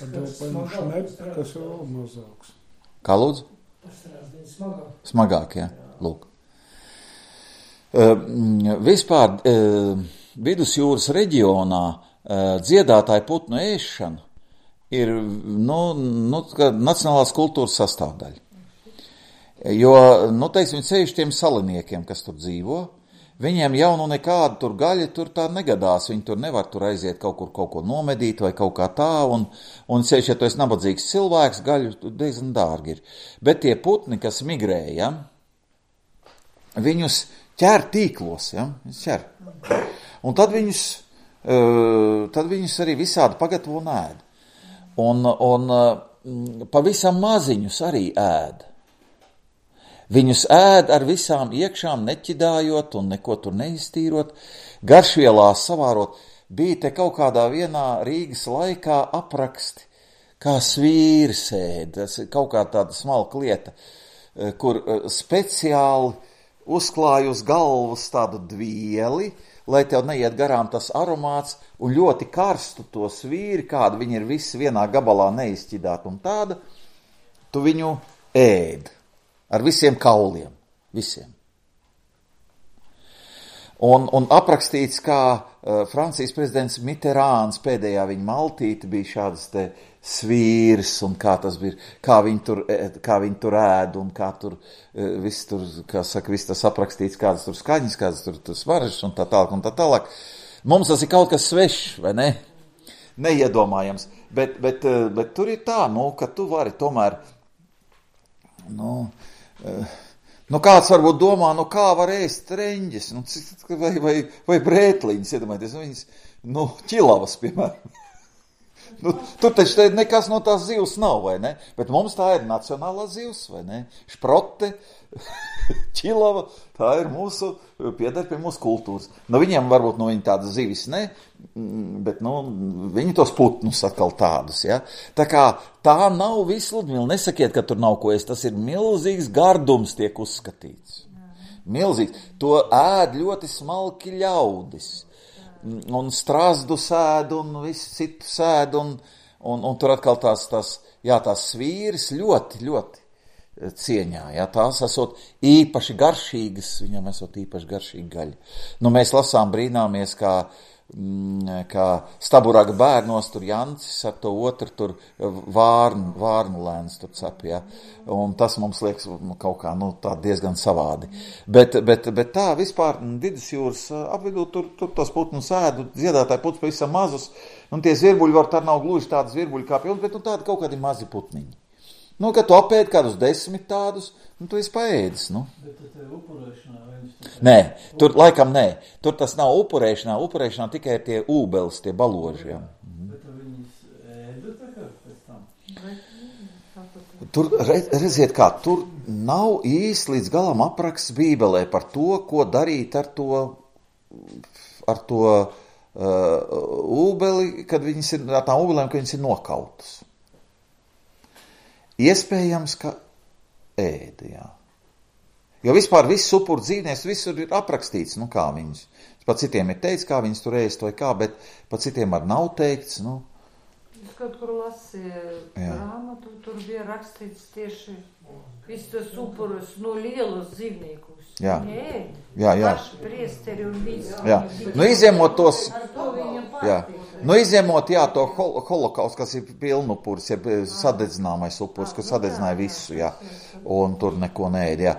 Kas ir vēl mazāks. Kā lūdzu? Smagāk, jā. Lūk. Vispār vidusjūras reģionā dziedātāju putnu ēšana ir, nu, nacionālās kultūras sastāvdaļa. Jo, nu, teiksim, ceļš tiem saliniekiem, kas tur dzīvo, viņiem jau nu nekāda tur gaļa tur tā negadās, viņi tur nevar tur aiziet kaut ko nomedīt vai kaut kā tā, un ceļš, ja tu esi nabadzīgs cilvēks, gaļu diezgan dārgi ir. Bet tie putni, kas migrē, ja, viņus ķer tīklos, ja, ķer. Un tad viņus arī visādi pagatavo un ēd. Un pavisam maziņus arī ēd. Viņus ēd ar visām iekšām neķidājot un neko tur neiztīrot, garšvielās savārot. Bija te kaut kādā vienā Rīgas laikā apraksti, kā svīrs ēd. Tas ir kaut kā tāda smalka lieta, kur speciāli uzklāj uz galvas tādu dvieli, lai tev neiet garām tas aromāts, un ļoti karstu to svīri, kāda viņi ir visi vienā gabalā neizķidāt un tāda, tu viņu ēd. Ar visiem kauliem, visiem. Un aprakstīts, kā Francijas prezidents Mitterāns pēdējā viņa maltīte bija šādas te svīrs, un kā tas bija, kā viņi tur ēd, un kā tur viss tur, kā saka, viss tas aprakstīts, kādas tur skaņas, kādas tur smaržas, un tā tālāk, un tā tālāk. Mums tas ir kaut kas svešs, vai ne? Neiedomājams. Bet tur ir tā, ka tu vari tomēr, kāds varbūt domā, kā var ēst reņģes, vai brētliņas, iedomājieties, viņas, ķilavas, piemēram. Tur taču nekas no tās zivs nav, vai ne? Bet mums tā ir nacionālā zivs, vai ne? Šprote, ķilava, tā ir pieder pie mūsu kultūras. Viņiem varbūt viņi tādas zivis ne, bet viņi tos putnus atkal tādus, ja? Tā kā tā nav viss, Ludmila, nesakiet, ka tur nav ko ēst, tas ir milzīgs gardums tiek uzskatīts. Milzīgs. To ēd ļoti smalki ļaudis. Un strazdu sēd, un visu citu sēd, un tur atkal tās svīras ļoti, ļoti cieņā, ja, tās esot īpaši garšīgas, viņam esot īpaši garšīgi gaļi. Mēs lasām brīnāmies, kā Staburaga bērnos tur Jancis ar to otru tur vārnu lēns tur cep, ja, un tas mums liekas kaut kā, tā diezgan savādi. Bet tā vispār Vidusjūras apvidū tur tos putnus ēd, dziedātāji putns pavisam mazus, un tie zvirbuļi var, tā nav gluži tādi zvirbuļi kā pie mums, bet tādi kaut kādi mazi putniņi. Kad tu apēdi kādus 10 tādus, tu esi paēdis, Bet tā ir upurēšanā, vai viņš tā? Nē, tur laikam nē. Tur tas nav upurēšanā tikai tie ūbeles, tie baloži, jā. Bet viņas ēda tā kā pēc tam? Tur, redziet kā, tur nav īsti līdz galam apraksts Bībelē par to, ko darīt ar to ūbeli, kad viņas ir, ar tām ūbelēm, kad viņas ir nokautas. Iespējams, ka ēda, jā. Jo vispār viss upuru dzīvnieks, visur ir aprakstīts, kā viņas. Pa citiem ir teikts, kā viņas tur ēst vai kā, bet pa citiem ar nav teikts, Es kaut kur lasīju grāmatu, tur bija rakstīts tieši viss tas upurus no lielos dzīvniekus. Jā. Jā. Paši priesteri un visi. Jā. Izņemot tos. Ar to viņam Jā. patīk. Izņemot, to holokaustu, kas ir pilnupurs, ja sadedzināmais upurs, kas sadedzināja visu, jā. Un tur neko neēd, jā.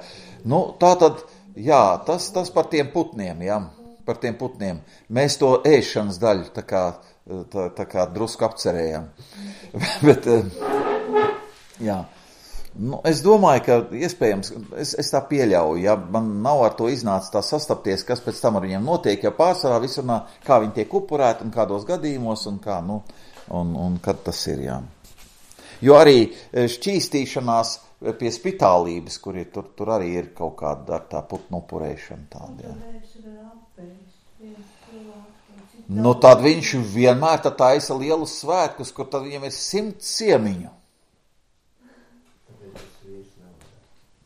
Tā tad, jā, tas par tiem putniem, jā. Par tiem putniem. Mēs to ēšanas daļu tā kā drusku apcerējām. Bet, jā. Es domāju, ka iespējams, es tā pieļauju, ja man nav ar to iznācis tā sastapties, kas pēc tam ar viņiem notiek, ja pārsvarā visurnā, kā viņi tiek upurēti un kādos gadījumos un kā, un kad tas ir, jā. Jo arī šķīstīšanās pie spitālības, kur ir, tur arī ir kaut kāda ar tā putnu upurēšana tāda, jā. Tad viņš vienmēr taisa lielus svētkus, kur tad viņam ir 100 ciemiņu.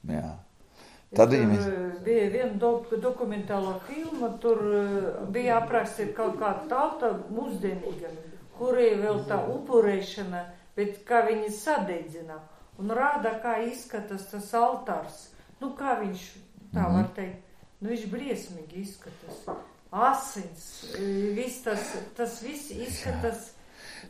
Jā. Tad viņam bija viena dokumentālā filma, tur bija aprakstīta kaut kāda tauta mūsdienīga, kurai vēl tā upurēšana, bet kā viņi sadedzina un rāda, kā izskatās tas altārs. Kā viņš, tā var teikt, viņš briesmīgi izskatās. Asins, viss tas viss izskatās.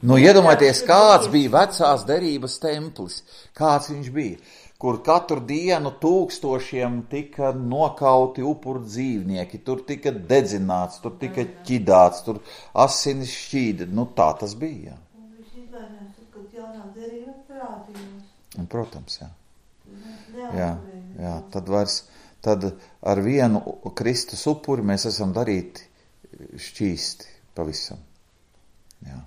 Iedomājieties, kāds bija vecās derības templis, kāds viņš bija, kur katru dienu tūkstošiem tika nokauti upuru dzīvnieki, tur tika dedzināts, tur tika ķidāts, tur asinis šķīda, tā tas bija, jā. Viņš izvainās, kad jaunā derība parādījās. Un, protams, jā. Jā, tad ar vienu Kristus upuri mēs esam darīti šķīsti pavisam. Jā.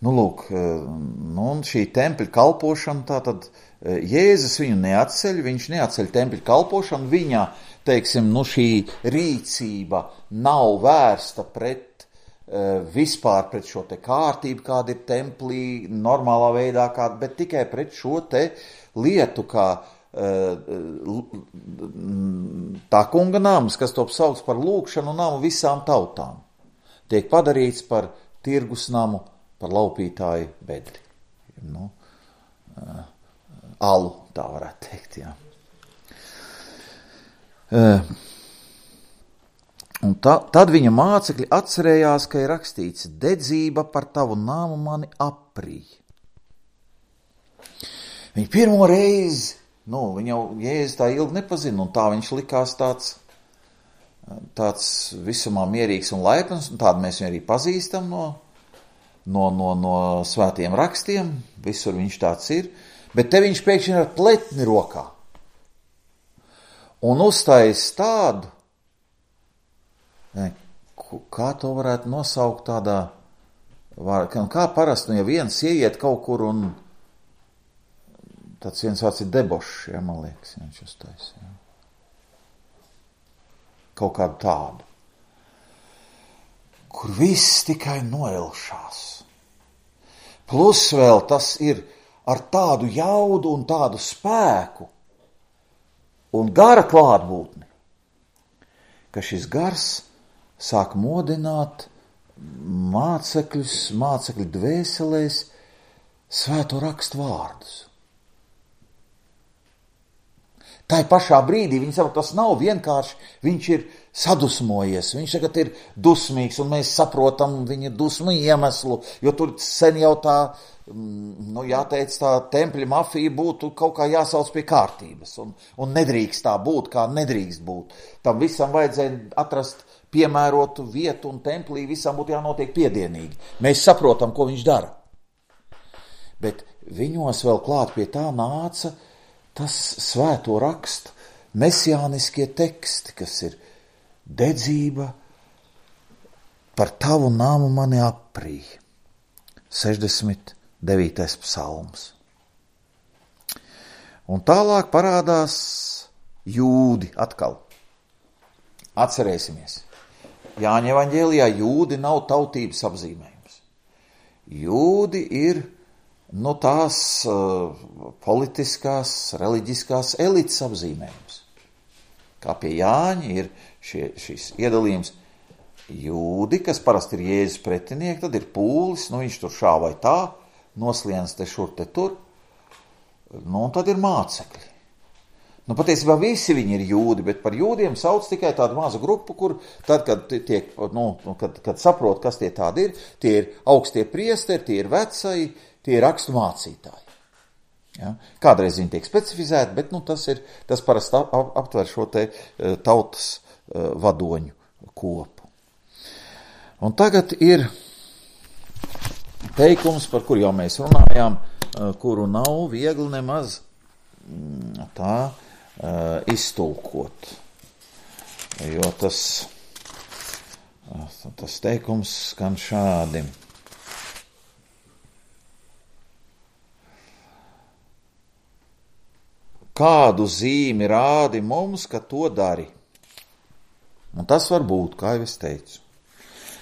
Lūk, un šī tempļa kalpošana, tātad Jēzus viņu neatceļ, viņš neatceļ tempļa kalpošanu, viņa, teiksim, šī rīcība nav vērsta pret vispār pret šo te kārtību, kāda ir templī, normālā veidā, bet tikai pret šo te lietu, kā tā kunga nams, kas top sauc par lūgšanu namu visām tautām, tiek padarīts par tirgus namu, par laupītāju bedri. Alu, tā varētu teikt, jā. Un tad viņa mācekļi atcerējās, ka ir rakstīts: dedzība par tavu nāmu mani aprīja. Viņa pirmo reizi, viņa jau Jēzus tā ilgi nepazina, un tā viņš likās tāds visumā mierīgs un laipns, un tādu mēs viņu arī pazīstam no svētiem rakstiem, visur viņš tāds ir, bet te viņš pēkšņi ar pletni rokā. Un uztais tādu, kā to varētu nosaukt tādā, kā parasti, ja viens ieiet kaut kur un tāds viens vārds ir debošs, man liekas, viņš uztais, kaut kādu tādu, kur viss tikai noilšās. Plus vēl tas ir ar tādu jaudu un tādu spēku un gara klātbūtni, ka šis gars sāk modināt mācekļu dvēselēs svēto rakstu vārdus. Tā pašā brīdī viņi saprot, tas nav vienkārši, viņš ir sadusmojies, viņš tagad ir dusmīgs, un mēs saprotam viņa dusmu iemeslu, jo tur sen jau tā, jāteic, tā tempļa mafija būtu kaut kā jāsauc pie kārtības, un nedrīkst tā būt, kā nedrīkst būt. Tam visam vajadzēja atrast piemērotu vietu, un templī visam būtu jānotiek piedienīgi. Mēs saprotam, ko viņš dara. Bet viņos vēl klāt pie tā nāca tas svēto rakstu mesiāniskie teksti, kas ir dedzība par tavu nāmu mani aprīja. 69. psalms. Un tālāk parādās jūdi atkal. Atcerēsimies. Jāņa evaņģēlijā jūdi nav tautības apzīmējums. Jūdi ir tās politiskās, reliģiskās elites apzīmējums. Kā pie Jāņa ir šis iedalījums jūdi, kas parasti ir Jēzus pretinieki, tad ir pūlis, viņš tur šā vai tā, nosliens te šur te tur, un tad ir mācekļi. Patiesībā visi viņi ir jūdi, bet par jūdiem sauc tikai tādu mazu grupu, kur tad, kad saprot, kas tie tādi ir, tie ir augstie priesteri, tie ir vecai, tie ir rakstu mācītāji. Ja? Kādreiz viņi tiek specifizēti, bet tas parasti aptver šo te tautas vadoņu kopu. Un tagad ir teikums, par kur jau mēs runājām, kuru nav viegli nemaz tā iztulkot. Jo tas teikums skan šādi. Kādu zīmi rādi mums, ka to dari? Un tas var būt, kā jau es teicu.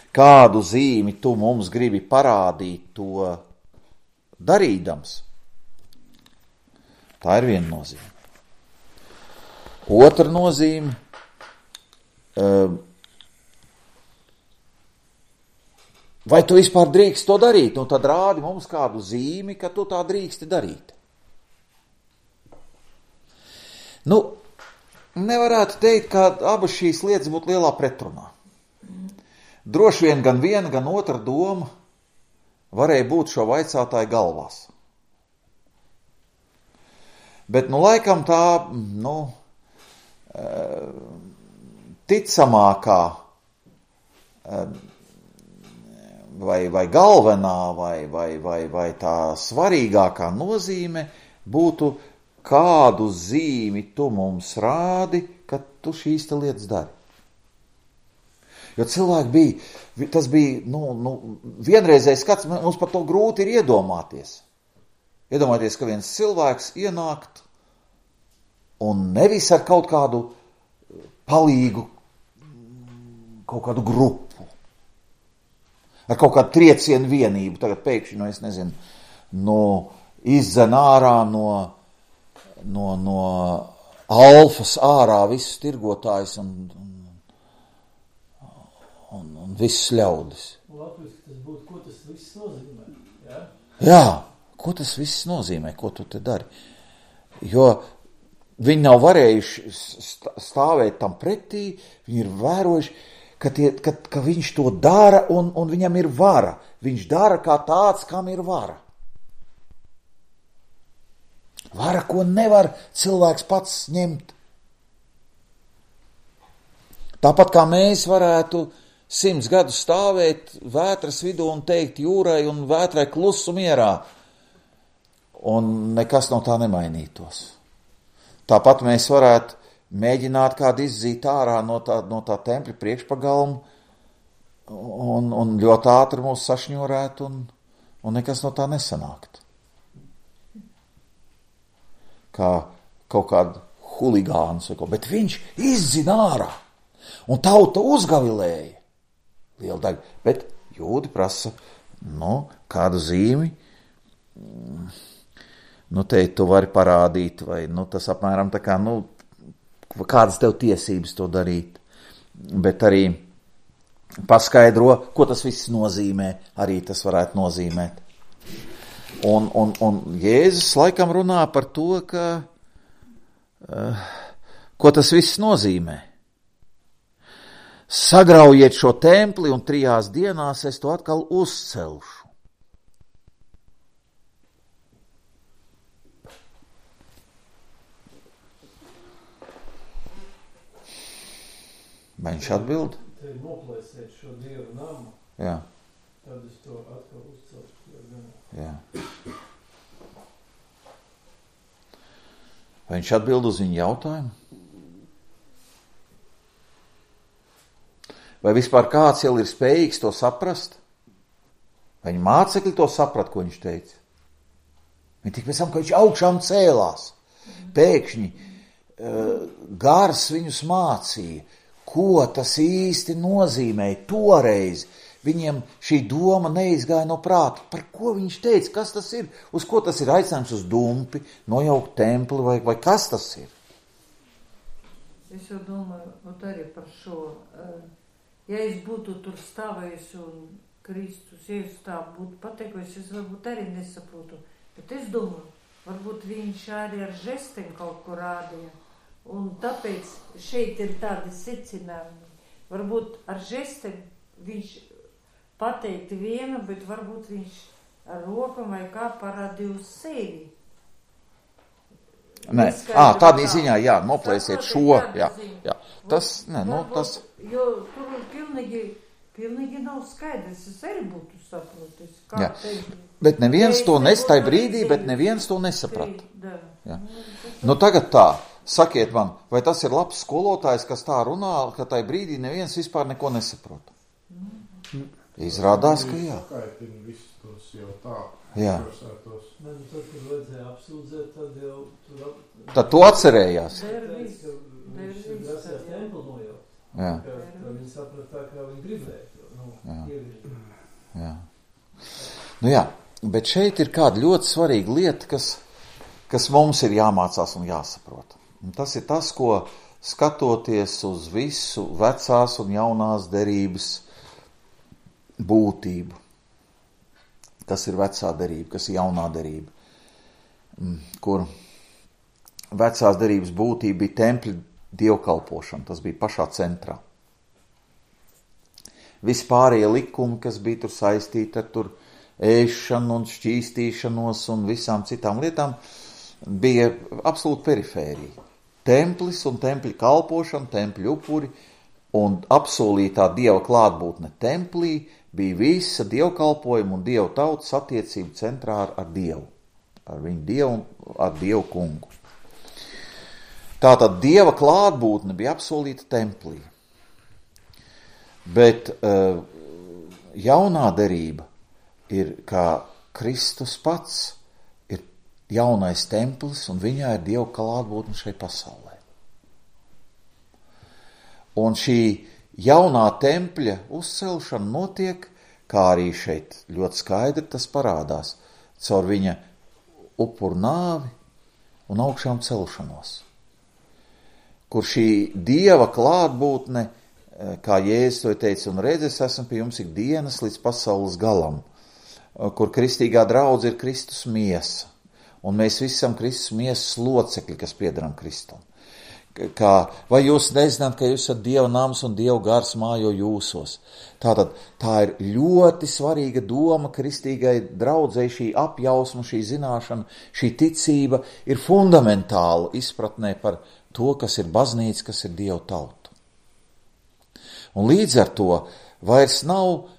Kādu zīmi tu mums gribi parādīt to darīdams? Tā ir viena nozīme. Otra nozīme, vai tu vispār drīkst to darīt? Tad rādi mums kādu zīmi, ka tu tā drīksti darīt. Nevarētu teikt, ka abas šīs lietas būtu lielā pretrunā. Droši vien gan viena, gan otra doma varēja būt šo vaicātāju galvās. Bet, laikam tā, ticamākā vai galvenā vai tā svarīgākā nozīme būtu, kādu zīmi tu mums rādi, ka tu šīs te lietas dari. Jo cilvēki tas bija, vienreizējs skats, mums par to grūti ir iedomāties. Iedomājieties, ka viens cilvēks ienākt un nevis ar kaut kādu palīgu, kaut kādu grupu, ar kaut kādu triecienu vienību, tagad pēkšņi, es nezinu, izdzen ārā no alfas ārā visus tirgotājus un visus ļaudis. Latviski tas būtu, ko tas viss nozīmē, ja? Jā, ko tas viss nozīmē, ko tu te dari? Jo viņi nav varējuši stāvēt tam pretī, viņi ir vērojuši, ka viņš to dara un viņam ir vara. Viņš dara kā tāds, kam ir vara. Vara, ko nevar cilvēks pats ņemt. Tāpat kā mēs varētu 100 gadus stāvēt vētras vidū un teikt jūrai un vētrai klusu mierā, un nekas no tā nemainītos. Tāpat mēs varētu mēģināt kādu izzīt ārā no tā tempļa priekšpagalma un ļoti ātri mūs sašņurēt un nekas no tā nesanākt. Kā kaut kādu huligāns, bet viņš izzina ārā un tauta uzgavilēja. Liela daļa, bet jūdi prasa, kādu zīmi, teikt, tu vari parādīt, vai, tas apmēram tā kā, kādas tev tiesības to darīt, bet arī paskaidro, ko tas viss nozīmē, arī tas varētu nozīmēt. Un Jēzus laikam runā par to, ko tas viss nozīmē. Sagraujiet šo templi un 3 dienās es to atkal uzcelšu. Vai viņš atbild? Te noplēsiet šo Dievu namu. Jā. Tad es to atkal uzcelšu. Jā. Vai viņš atbild uz viņu jautājumu? Vai vispār kāds jau ir spējīgs to saprast? Vai viņa mācekļi to saprat, ko viņš teica? Viņi tik pēc tam, ka viņš augšām cēlās. Pēkšņi gars viņus mācīja, ko tas īsti nozīmēja toreiz. Viņiem šī doma neizgāja no prāta. Par ko viņš teica? Kas tas ir? Uz ko tas ir aicinājums? Uz dumpi, nojaukt templi vai kas tas ir? Es jau domāju, arī par šo. Ja es būtu tur stāvējusi un Kristus, ja es tā būtu pateikusi, es varbūt arī nesaprotu. Bet es domāju, varbūt viņš arī ar žestiem kaut ko rādīja. Un tāpēc šeit ir tādi secinājumi. Varbūt ar žestiem viņš pateikti vienu, bet varbūt viņš ar rokam vai kā parādīja uz sevi. Nē, tādā ziņā, jā, noplēsiet šo, jā. Tas, tas... Jo tur pilnīgi nav skaidrs, es arī būtu saprotis. Bet neviens to nestāja brīdī, bet neviens to nesaprata. Jā. Tagad tā, sakiet man, vai tas ir labs skolotājs, kas tā runā, ka tai brīdī neviens vispār neko nesaprota? Izrādās, ka jā. Jā. Tad, kad vajadzēja apsūdzēt, tad jau... Tad tu atcerējās. Jā. Viņi saprat tā, kā viņi gribēja. Jā, bet šeit ir kāda ļoti svarīga lieta, kas mums ir jāmācās un jāsaprot. Un tas ir tas, ko skatoties uz visu vecās un jaunās derības būtību. Kas ir vecā derība, kas ir jaunā derība, kur vecās derības būtība bija tempļa dievkalpošana, tas bija pašā centrā. Vispārējie likumi, kas bija tur saistīti ar tur ēšanu un šķīstīšanos un visām citām lietām, bija absolūti perifērija. Templis un tempļa kalpošana, tempļa upuri un apsolītā dieva klātbūtne templī bija visa dievkalpojuma un dievu tautas attiecību centrā ar Dievu. Ar viņu Dievu un ar Dievu kungu. Tātad dieva klātbūtne bija apsolīta templī. Bet jaunā derība ir, kā Kristus pats ir jaunais templis un viņā ir dieva klātbūtne šai pasaulē. Un šī jaunā tempļa uzcelšana notiek, kā arī šeit ļoti skaidri tas parādās, caur viņa upuru nāvi un augšām celšanos. Kur šī dieva klātbūtne, kā Jēzus to teica, un redz, es esmu pie jums ikdienas līdz pasaules galam, kur kristīgā draudze ir Kristus miesa, un mēs visi esam Kristus miesas locekļi, kas piederam Kristum. vai jūs nezināt, ka jūs esat Dieva nams un Dieva gars mājo jūsos. Tātad tā ir ļoti svarīga doma kristīgai draudzei, šī apjausma, šī zināšana, šī ticība ir fundamentāla izpratnē par to, kas ir baznīca, kas ir Dieva tauta. Un līdz ar to vairs nav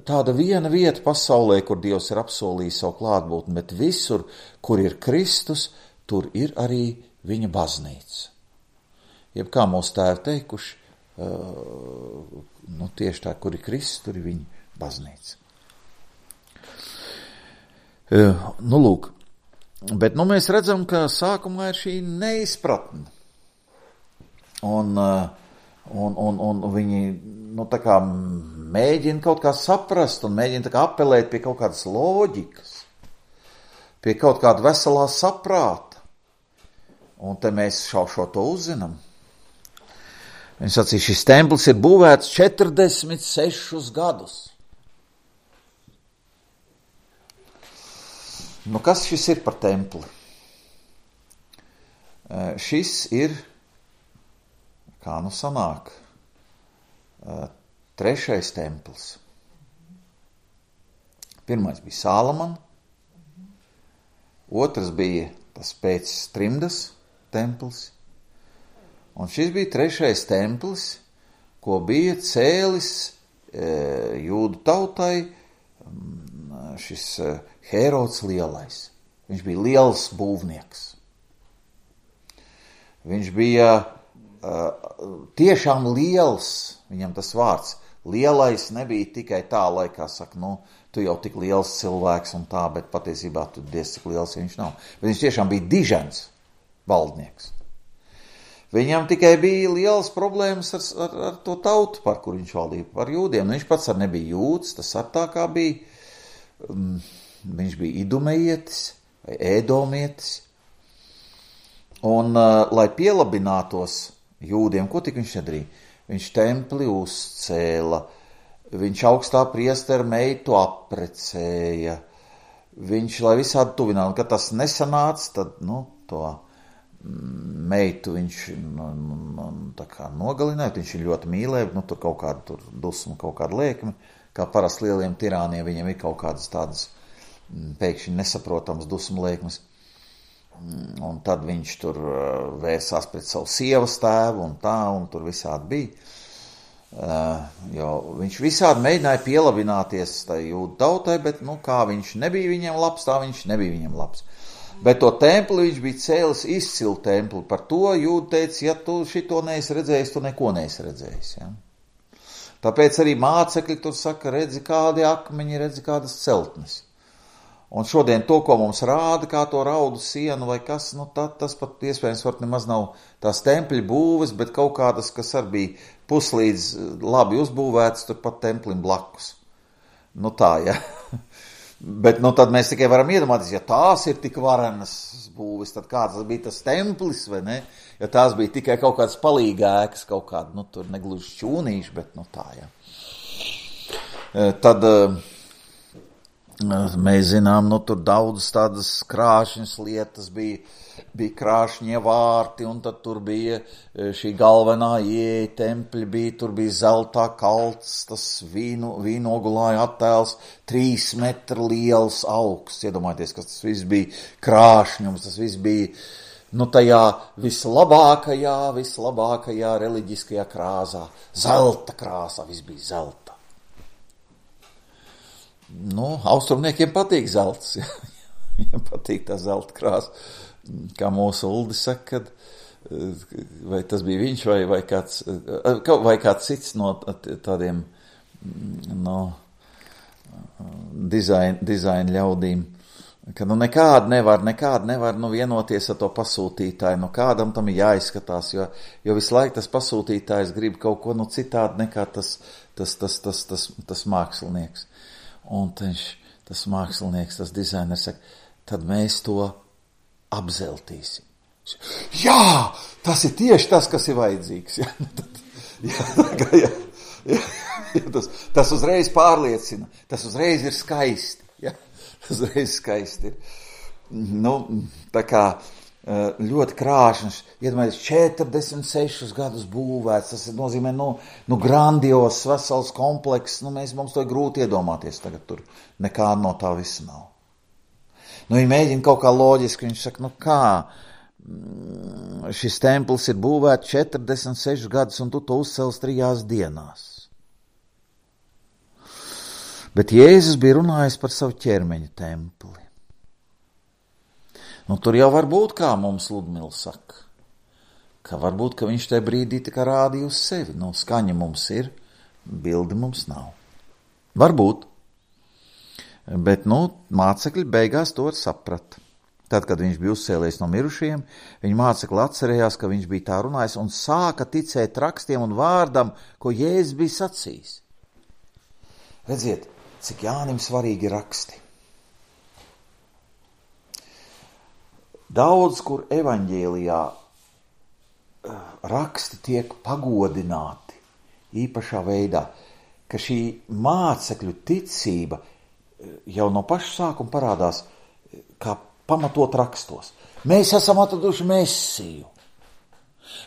tāda viena vieta pasaulē, kur Dievs ir apsolījis savu klātbūtni, bet visur, kur ir Kristus, tur ir arī viņa baznīca. Jeb kā mūsu tēvi teikuši, tieši tā, kur ir Kristus, tur ir viņa baznīca. Lūk, bet mēs redzam, ka sākumā ir šī neizpratne. Un viņi, tā kā mēģina kaut kā saprast un mēģina tā kā apelēt pie kaut kādas loģikas, pie kaut kāda veselā saprāta. Un te mēs šo to uzzinām. Viņš sacīja, šis templis ir būvēts 46 gadus. Kas šis ir par templi? Šis ir, kā sanāk, 3. templis. Pirmais bija Sālamana, otrs bija tas pēc trimdas templis, un šis bija 3. templis, ko bija cēlis jūdu tautai šis Hērods Lielais. Viņš bija liels būvnieks. Viņš bija tiešām liels, viņam tas vārds. Lielais nebija tikai tā, lai kā saka, tu jau tik liels cilvēks un tā, bet patiesībā tu diez cik liels viņš nav. Bet viņš tiešām bija dižens valdnieks. Viņam tikai bija liels problēmas ar to tautu, par kur viņš valdīja, par jūdiem. Viņš pats arī nebija jūds, tas ar tā kā bija. Viņš bija idumejietis vai ēdomietis. Un, lai pielabinātos jūdiem, ko tik viņš nedarīja? Viņš templi uzcēla, viņš augstā priestera meitu apprecēja, viņš, lai visādi tuvinātu, kad tas nesanāca, tad, to meitu viņš tā kā nogalināja, viņš ir ļoti mīlēja, tur kaut kāda dusma, kaut kāda liekme, kā parasti lieliem tirāniem, viņiem ir kaut kādas tādas pēkšņi nesaprotams dusmu liekmes. Un tad viņš tur vērsās pret savu sievas tēvu un tā, un tur visādi bija. Jo viņš visādi mēģināja pielabināties tai jūdu tautai, bet, kā viņš nebija viņam labs, tā viņš nebija viņam labs. Bet to templi viņš bija cēlis izcilu templi. Par to jūda teica, ja tu šito neesi redzējis, tu neko neesi redzējis. Ja? Tāpēc arī mācekļi tur saka, redzi kādi akmeņi, redzi kādas celtnes. Un šodien to, ko mums rāda, kā to raudu sienu vai kas, tas pat iespējams var nemaz nav tās tempļa būves, bet kaut kādas, kas arī bija puslīdz labi uzbūvētas, tur pat templim blakus. Tā, ja. Bet, tad mēs tikai varam iedomāties, ja tās ir tik varenas būves, tad kāds bija tas templis, vai ne? Ja tās bija tikai kaut kāds palīgēkas, kaut kāda, tur negluži šķūnīši, bet, tā, ja. Tad mēs zinām, tur daudzas tādas krāšņas lietas bija krāšņie vārti, un tad tur bija šī galvenā ieeja tempļa, tur bija zeltā kalts, tas vīnogulāja attēls, 3 metru liels augsts. Iedomājieties, kas tas viss bija krāšņums, tas viss bija, tajā vislabākajā reliģiskajā krāsā, zelta krāsā, viss bija zelta. Austrumniekiem patīk zelts, ja. Viņam patīk tā zelta krāsa. Kā mūsu Uldi saka, vai tas bija viņš vai kāds cits no tādiem dizaina ļaudīm, ka nekādi nevar vienoties ar to pasūtītāju, kādam tam ir jāizskatās, jo visu laiku tas pasūtītājs grib kaut ko citādi nekā tas mākslinieks. Un tas mākslinieks, tas dizainers saka, tad mēs to apzeltīsim. Jā, tas ir tieši tas, kas ir vajadzīgs. Tas uzreiz pārliecina, tas uzreiz ir skaisti. Ja? Tas uzreiz skaisti ir. Tā kā ļoti krāšņs, iedomājies 46 gadus būvēts, tas nozīmē, grandios, vesels komplekss, mums to ir grūti iedomāties tagad tur, nekā no tā visa nav. Viņi mēģina kaut kā loģiski, viņš saka, kā šis templis ir būvēts 46 gadus, un tu to uzcels 3 dienās. Bet Jēzus bija runājis par savu ķermeņa templi. Tur jau var būt, kā mums Ludmila saka, ka varbūt, ka viņš tajā brīdī tā kā rādīja uz sevi. Skaņa mums ir, bildi mums nav. Varbūt. Bet, mācekļi beigās to saprata. Tad, kad viņš bija uzcēlies no mirušajiem, viņa mācekļi atcerējās, ka viņš bija tā runājis un sāka ticēt rakstiem un vārdam, ko Jēzus bija sacījis. Redziet, cik Jānim svarīgi ir raksti. Daudz, kur evaņģēlijā raksti tiek pagodināti īpašā veidā, ka šī mācekļu ticība jau no paša sākuma parādās kā pamatot rakstos. Mēs esam atraduši Mesiju,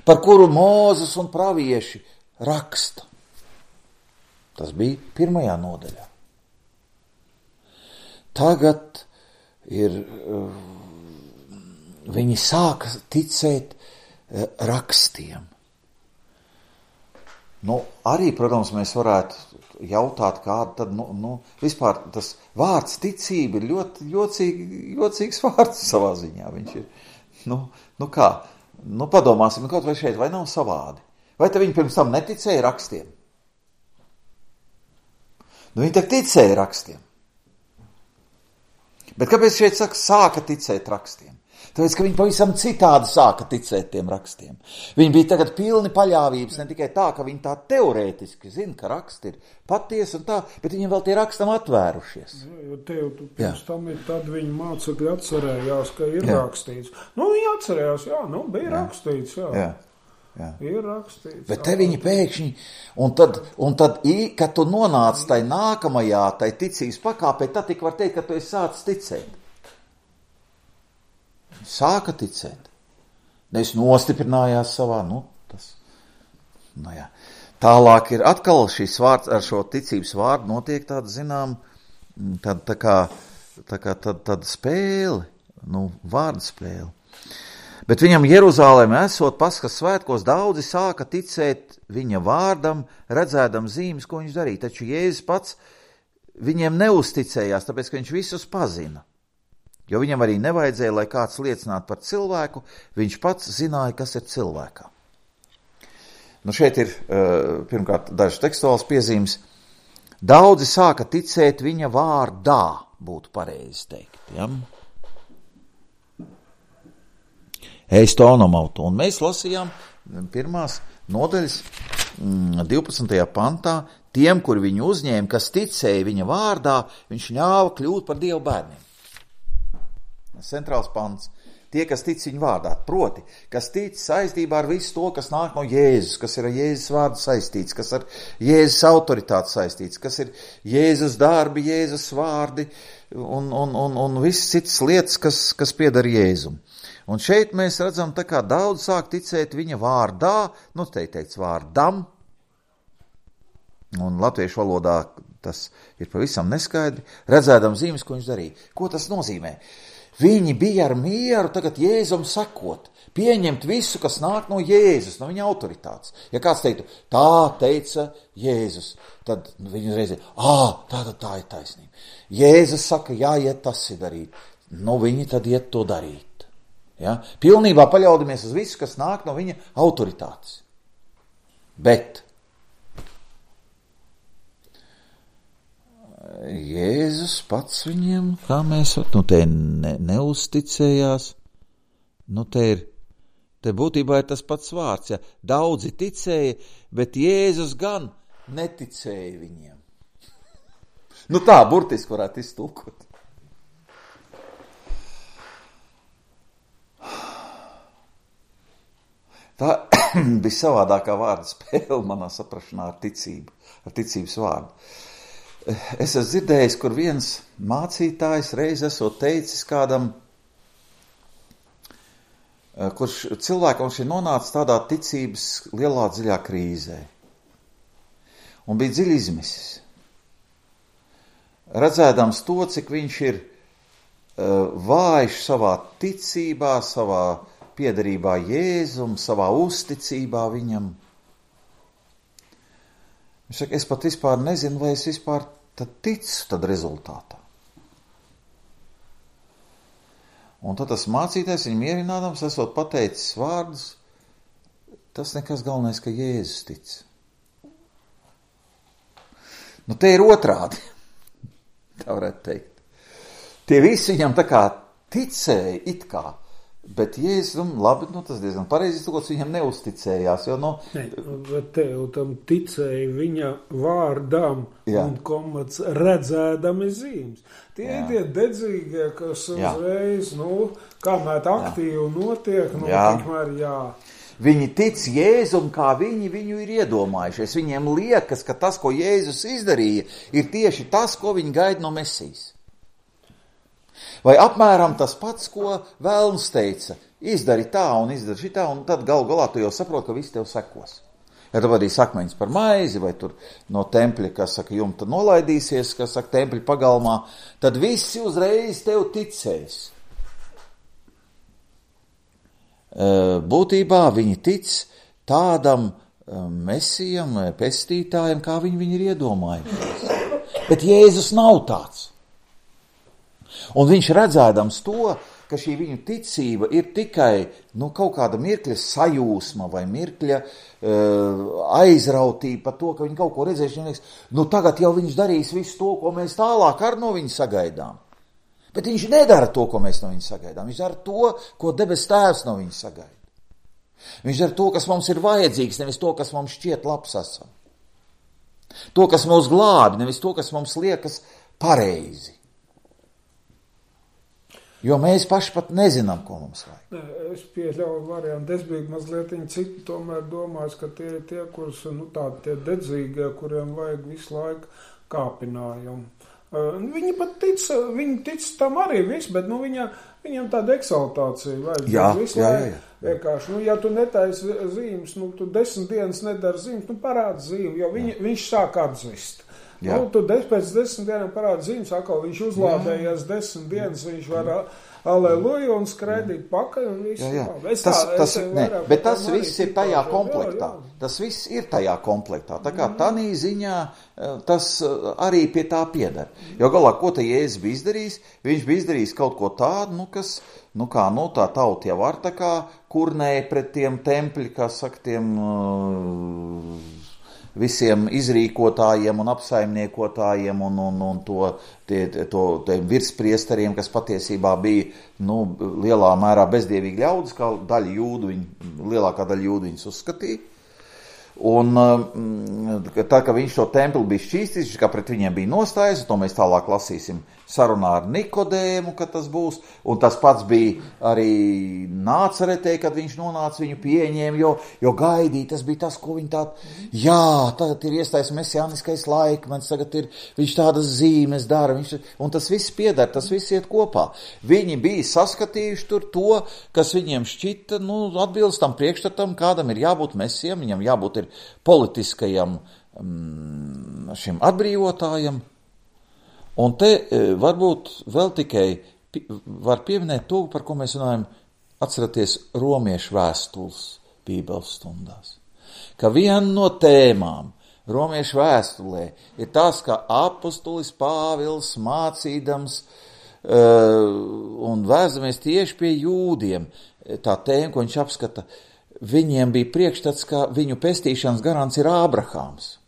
par kuru Mūzes un pravieši raksta. Tas bija 1. nodaļā. Tagad ir... Viņi sāka ticēt rakstiem. Arī, protams, mēs varētu jautāt, kāda tad, vispār tas vārds ticība ir ļoti jocīgs vārds savā ziņā. Viņš ir, kā? Padomāsim, kaut vai šeit, vai nav savādi? Vai te viņi pirms tam neticēja rakstiem? Viņi tak ticēja rakstiem. Bet kāpēc šeit sāka ticēt rakstiem? Tāpēc, ka viņi pavisam citādi sāka ticēt tiem rakstiem. Viņi bija tagad pilni paļāvības, ne tikai tā, ka viņi tā teorētiski zina, ka raksti ir patiesi un tā, bet viņiem vēl tie rakstam atvērušies. Jo tev pirms tam ir tad viņi mācekļi atcerējās, ka ir rakstīts. Viņi atcerējās, bija rakstīts, Jā. Ir rakstīts. Bet te viņi pēkšņi, un tad, kad tu nonāc tai nākamajā, tai ticības pakāpē, tad tik var teikt, ka tu esi sācis ticēt. Sāka ticēt. Nevis nostiprinājās savā, Tālāk ir atkal šīs vārds, ar šo ticības vārdu notiek tāda, zinām, tāda spēle, vārdu spēle. Bet viņam Jeruzālēmē esot Paskas svētkos, daudzi sāka ticēt viņa vārdam, redzēdam zīmes, ko viņš darīja. Taču Jēzus pats viņiem neuzticējās, tāpēc, ka viņš visus pazina. Jo viņam arī nevajadzēja, lai kāds liecinātu par cilvēku, viņš pats zināja, kas ir cilvēkā. Šeit ir pirmkārt dažas tekstuālas piezīmes. Daudzi sāka ticēt viņa vārdā, būtu pareizi teikt. Ja? Eistonomautu. Un mēs lasījām 1. nodaļas 12. pantā, tiem, kur viņu uzņēma, kas ticēja viņa vārdā, viņš ļāva kļūt par Dievu bērniem. Centrāls pants. Tie, kas tic viņa vārdā, proti, kas tic saistībā ar visu to, kas nāk no Jēzus, kas ir ar Jēzus vārdu saistīts, kas ar Jēzus autoritāti saistīts, kas ir Jēzus darbi, Jēzus vārdi un visas citas lietas, kas pieder Jēzum. Un šeit mēs redzam, tā kā daudz sāk ticēt viņa vārdā, te teikts vārdam, un latviešu valodā tas ir pavisam neskaidri, redzēdam zīmes, ko viņš darīja. Ko tas nozīmē? Viņi bija ar mieru tagad Jēzum sekot, pieņemt visu, kas nāk no Jēzus, no viņa autoritātes. Ja kāds teiktu, tā teica Jēzus, tad viņi uzreiz ir, tā ir taisnība. Jēzus saka, jāiet tas ir darīt. Viņi tad iet to darīt. Ja? Pilnībā paļaudamies uz visu, kas nāk no viņa autoritātes. Bet Jēzus pats viņiem, kā mēs, te neuzticējās, te būtībā ir tas pats vārds, ja daudzi ticēja, bet Jēzus gan neticēja viņiem. Tā burtiski varētu iztulkot. Tā bija savādākā vārda spēle manā saprašanā ar ticību, ar ticības vārdu. Es esmu dzirdējis, kur viens mācītājs reiz esot teicis kādam, kurš cilvēkam šī nonāca tādā ticības lielā dziļā krīzē. Un bija dziļi izmisis. Redzēdams to, cik viņš ir vājš savā ticībā, savā piederībā Jēzum, savā uzticībā viņam. Viņš saka, es pat vispār nezinu, vai es vispār tad ticu tad rezultātā. Un tad tas mācītājs viņu mierinādams, esot pateicis vārdus, tas nekas galvenais, ka Jēzus tic. Nu, te ir otrādi, tā varētu teikt. Tie visi viņam tā kā ticēja it kā, bet Jēzus, labi, tas diezgan pareizi iztulkots, viņam neuzticējās, jo, Bet tev tam ticēja viņa vārdām un komats redzēdami zīmes. Tie ir tie dedzīgie, kas uzreiz, kamēr aktīvi notiek, tikmēr Viņi tic Jēzum, kā viņi viņu ir iedomājušies. Viņiem liekas, ka tas, ko Jēzus izdarīja, ir tieši tas, ko viņi gaida no Mesijas. Vai apmēram tas pats, ko Vēlns teica, izdari tā un izdari šitā, un tad galu galā tu jau saproti, ka viss tev sekos. Ja tu vadīsi akmeņus par maizi, vai tur no tempļa, kas saka, jumta nolaidīsies, kas saka, tempļa pagalmā, tad visi uzreiz tev ticēs. Būtībā viņi tic tādam mesijam, pestītājam, kā viņi ir iedomājušies. Bet Jēzus nav tāds. Un viņš redzēdams to, ka šī viņu ticība ir tikai kaut kāda mirkļa sajūsma vai mirkļa aizrautība par to, ka viņi kaut ko redzējuši. Viņam liekas, tagad jau viņš darīs visu to, ko mēs tālāk ar no viņa sagaidām. Bet viņš nedara to, ko mēs no viņa sagaidām. Viņš dara to, ko debes tēvs no viņa sagaida. Viņš dara to, kas mums ir vajadzīgs, nevis to, kas mums šķiet labs esam. To, kas mūs glābi, nevis to, kas mums liekas pareizi. Jo mēs paši pat nezinām, ko mums vajag. Es pieļauju variantu. Es biju mazliet citu, tomēr domāju, ka tie ir tie, kurus, tie dedzīgie, kuriem vajag visu laiku kāpinājumu. Viņi pat tic tam arī viss, bet viņam tāda eksaltācija vajag. Jā. Vienkārši, ja tu netaisi zīmes, tu 10 dienas nedari zīmes, parādi zīmi, jo viņš sāk atzvist. Tu pēc 10 dienām parādi zīmes, atkal viņš uzlādējies 10 dienas, viņš var aleluja un skraidīt pakaļ un viss. Bet tas viss ir tajā komplektā. Tas viss ir tajā komplektā. Tā kā tanī ziņā tas arī pie tā pieder. Jo galā, ko te Jēzus bija izdarījis? Viņš bija izdarījis kaut ko tādu, kas, tā tauta jau var tā kā kurnēja pret tiem tempļi, kā saka, tiem visiem izrīkotājiem un apsaimniekotājiem un tiem virspriesteriem, kas patiesībā bija lielā mērā bezdievīgi ļaudis, kā lielākā daļa jūdu viņus uzskatīja. Un tā, ka viņš to templi bija šķīstījis, kā pret viņiem bija nostājies, to mēs tālāk lasīsim sarunā ar Nikodēmu, kad tas būs, un tas pats bija arī Nācaretē, kad viņš nonāca, viņu pieņēma, jo gaidīja, tas bija tas, ko viņi tagad ir iestājies mesiāniskais laikmets, tagad viņš tādas zīmes dara, un tas viss piedara, tas viss iet kopā. Viņi bija saskatījuši tur to, kas viņiem šķita, atbilst tam priekšstatam, kādam ir jābūt mesijam, viņam jābūt ir politiskajam šim atbrīvotājam. Un te varbūt vēl tikai var pieminēt to, par ko mēs runājam, atceraties romiešu vēstules Bībeles stundās. Ka viena no tēmām romiešu vēstulē ir tas, ka apostolis Pāvils mācīdams un vēzamies tieši pie jūdiem, tā tēma, ko viņš apskata, viņiem bija priekšstats, ka viņu pestīšanas garants ir Ābrahāms.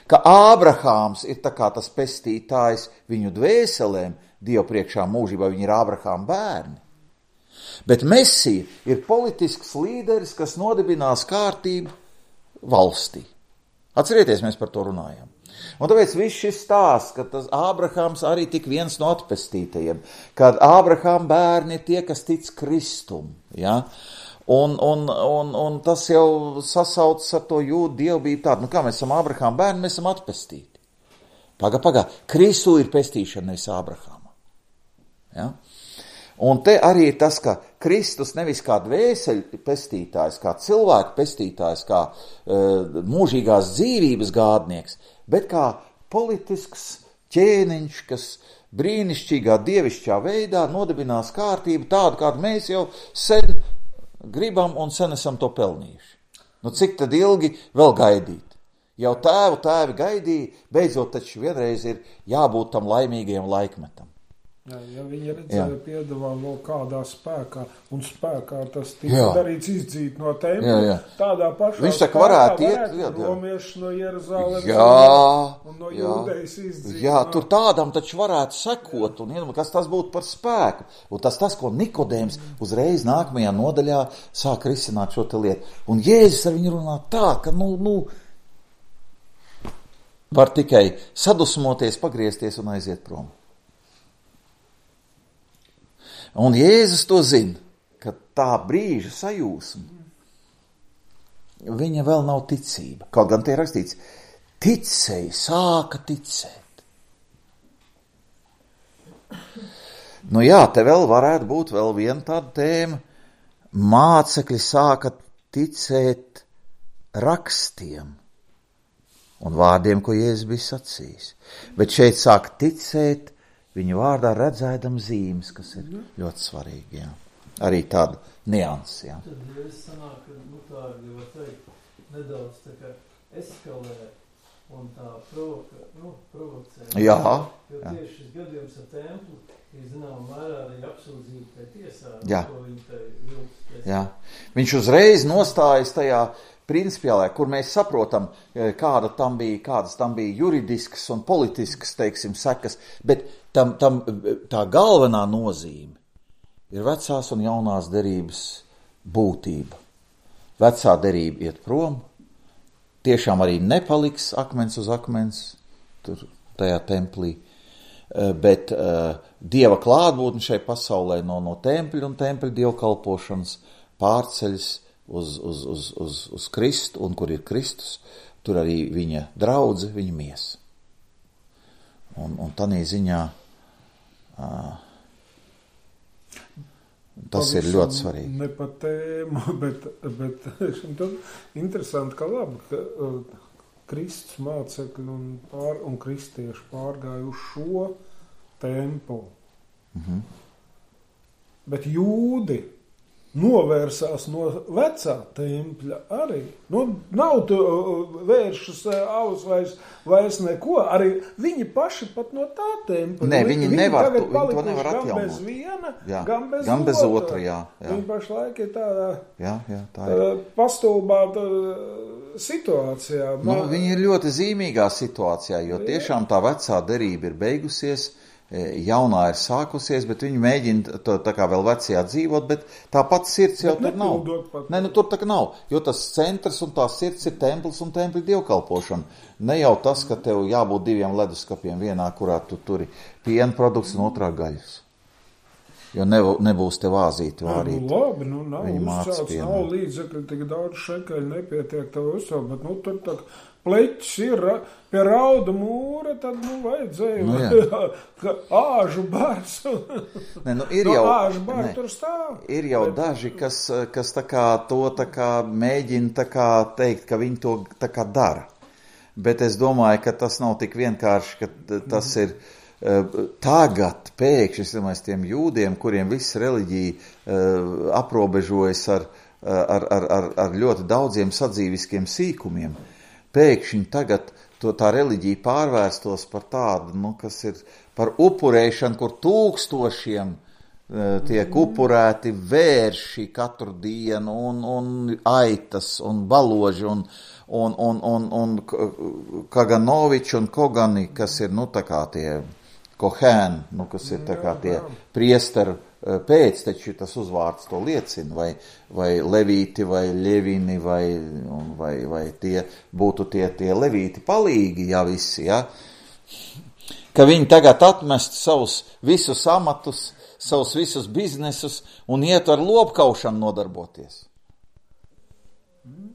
Ka Ābrahāms ir tā kā tas pestītājs viņu dvēselēm, Dievu priekšā mūžībā, viņi ir Ābrahāma bērni. Bet Mesija ir politisks līderis, kas nodibinās kārtību valstī. Atcerieties, mēs par to runājam. Un tāpēc viss šis stāsts, ka tas Ābrahāms arī tik viens no atpestītajiem, kad Ābrahāma bērni ir tie, kas tic Kristum, Un tas jau sasaucas ar to jūdu dievbību tādu, kā mēs esam Ābrahāma bērni, mēs esam atpestīti. Pagā, Kristu ir pestīšana, nevis Ābrahāma. Ja? Un te arī ir tas, ka Kristus nevis kā dvēseļu pestītājs, kā cilvēku pestītājs, kā mūžīgās dzīvības gādnieks, bet kā politisks ķēniņš, kas brīnišķīgā dievišķā veidā nodibinās kārtību tādu, kādu mēs jau sen gribam un sen esam to pelnījuši. Nu, cik tad ilgi vēl gaidīt? Jau tēvi gaidīja, beidzot taču vienreiz ir jābūt tam laimīgajam laikmetam. Jā, ja viņi redzēja piedāvājumu vēl kādā spēkā, un spēkā tas tika darīts izdzīt no tempļa, tādā pašā viņš spēkā varētu romieši no Jeruzalemes un no Jūdejas izdzīt. Jā, tur tādam taču varētu sekot, un kas tas būtu par spēku. Un tas, ko Nikodēms uzreiz nākamajā nodaļā sāk risināt šo te lietu. Un Jēzus ar viņu runā tā, ka, var tikai sadusmoties, pagriezties un aiziet prom. Un Jēzus to zina, ka tā brīža sajūsma, viņa vēl nav ticība. Kaut gan tie rakstīts, ticēja, sāka ticēt. Nu jā, te vēl varētu būt vēl viena tāda tēma. Mācekļi sāka ticēt rakstiem un vārdiem, ko Jēzus bija sacījis. Bet šeit sāka ticēt viņu vārdā redzēdam zīmes, kas ir ļoti svarīgi, jā. Arī tāda nianses, jā. Tad, ja es sanāk, ka, tā ir, var teikt, nedaudz tā kā eskalē un tā provocē. Jā. Jo tieši šis gadījums ar templu ir, zinām, mērā arī apsūdzība tai tiesā, ko viņi tai vilks. Jā. Viņš uzreiz nostājas tajā principiālē, kur mēs saprotam, kādas tam bija juridiskas un politiskas, teiksim, sekas, bet tā galvenā nozīme ir vecās un jaunās derības būtība. Vecā derība iet prom, tiešām arī nepaliks akmens uz akmens tur tajā templī, bet Dieva klātbūtne šai pasaulē no tempļa un tempļa dievkalpošanas pārceļas uz Kristu, un kur ir Kristus, tur arī viņa draudze, viņa miesa. Un tādā ziņā tas ir ļoti svarīgi. Ne pa tēmu, bet interesanti, ka labi, ka Kristus mācekļi un kristieši pārgāja uz šo templu. Bet jūdi novērsās no vecā tempļa arī. Nav tu vēršas vairs neko. Arī viņi paši pat no tā tempļa. Nē, viņi to nevar atjaunot. Gan bez viena, gan bez otra. Jā. Viņi pašlaik ir tādā tā ir. Pastulbāta situācijā. Viņi ir ļoti zīmīgā situācijā, jo tiešām tā vecā derība ir beigusies, jaunā ir sākusies, bet viņi mēģina tā kā vēl vecajā dzīvot, bet tā pati sirds jau tur nav. Nē, tur tā kā nav, jo tas centrs un tā sirds ir templis un tempļa dievkalpošana. Ne jau tas, ka tev jābūt 2 leduskapiem, vienā, kurā tu turi piena produkts un otrā gaļas. Jo nebūs te vāzīti vārīti. Labi, nav uzcelts, nav līdzekļi, tik daudz šekeļi nepietiek tev uzcelt, bet tur tā pleķis ir pie rauda mūra, tad vajadzēja āžu bars. Āžu bars tur stāv. Ir jau daži, kas tā kā to tā kā mēģina tā kā teikt, ka viņi to tā kā dara. Bet es domāju, ka tas nav tik vienkārši, ka tas ir tagad pēkšņi, es tiem jūdiem, kuriem viss reliģija aprobežojas ar ļoti daudziem sadzīviskiem sīkumiem, pēkšņi tagad tā reliģija pārvērstos par tādu, kas ir par upurēšanu, kur tūkstošiem tiek upurēti vērši katru dienu un aitas un baloži un Kaganoviči un Kogani, kas ir, tā kā tie Kohēni, kas ir tā kā tie priesteru pēcteči, tas uzvārds to liecina, vai levīti, vai ļevini, vai tie būtu tie levīti palīgi, visi, ka viņi tagad atmest savus visus amatus, savus visus biznesus un iet ar lopkaušanu nodarboties.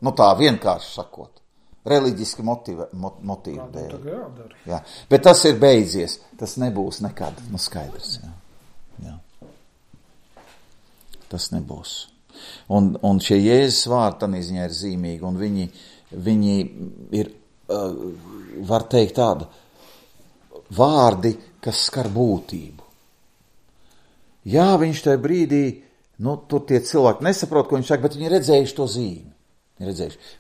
Tā vienkārši sakot. Reliģiski motīvi dēļ. Jā. Bet tas ir beidzies. Tas nebūs nekad. Skaidrs. Jā. Tas nebūs. Un šie Jēzus vārdi tādā ziņā ir zīmīgi, un viņi ir, var teikt tāda, vārdi, kas skar būtību. Jā, viņš tajā brīdī, tur tie cilvēki nesaprot, ko viņš saka, bet viņi redzējuši to zīmi.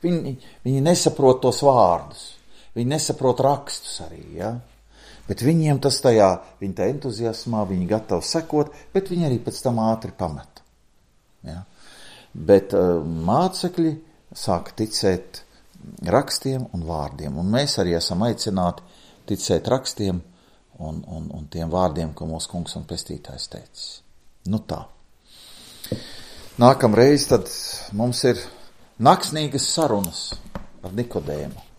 Viņi nesaprot tos vārdus, viņi nesaprot rakstus arī, ja? Bet viņiem tas tajā, viņi tā entuziasmā, viņi gatavi sekot, bet viņi arī pēc tam ātri pamet. Ja? Bet mācekļi sāka ticēt rakstiem un vārdiem, un mēs arī esam aicināti ticēt rakstiem un tiem vārdiem, ko mūsu kungs un pestītājs teicis. Tā. Nākamreiz tad mums ir naksnīgas sarunas ar Nikodēmu.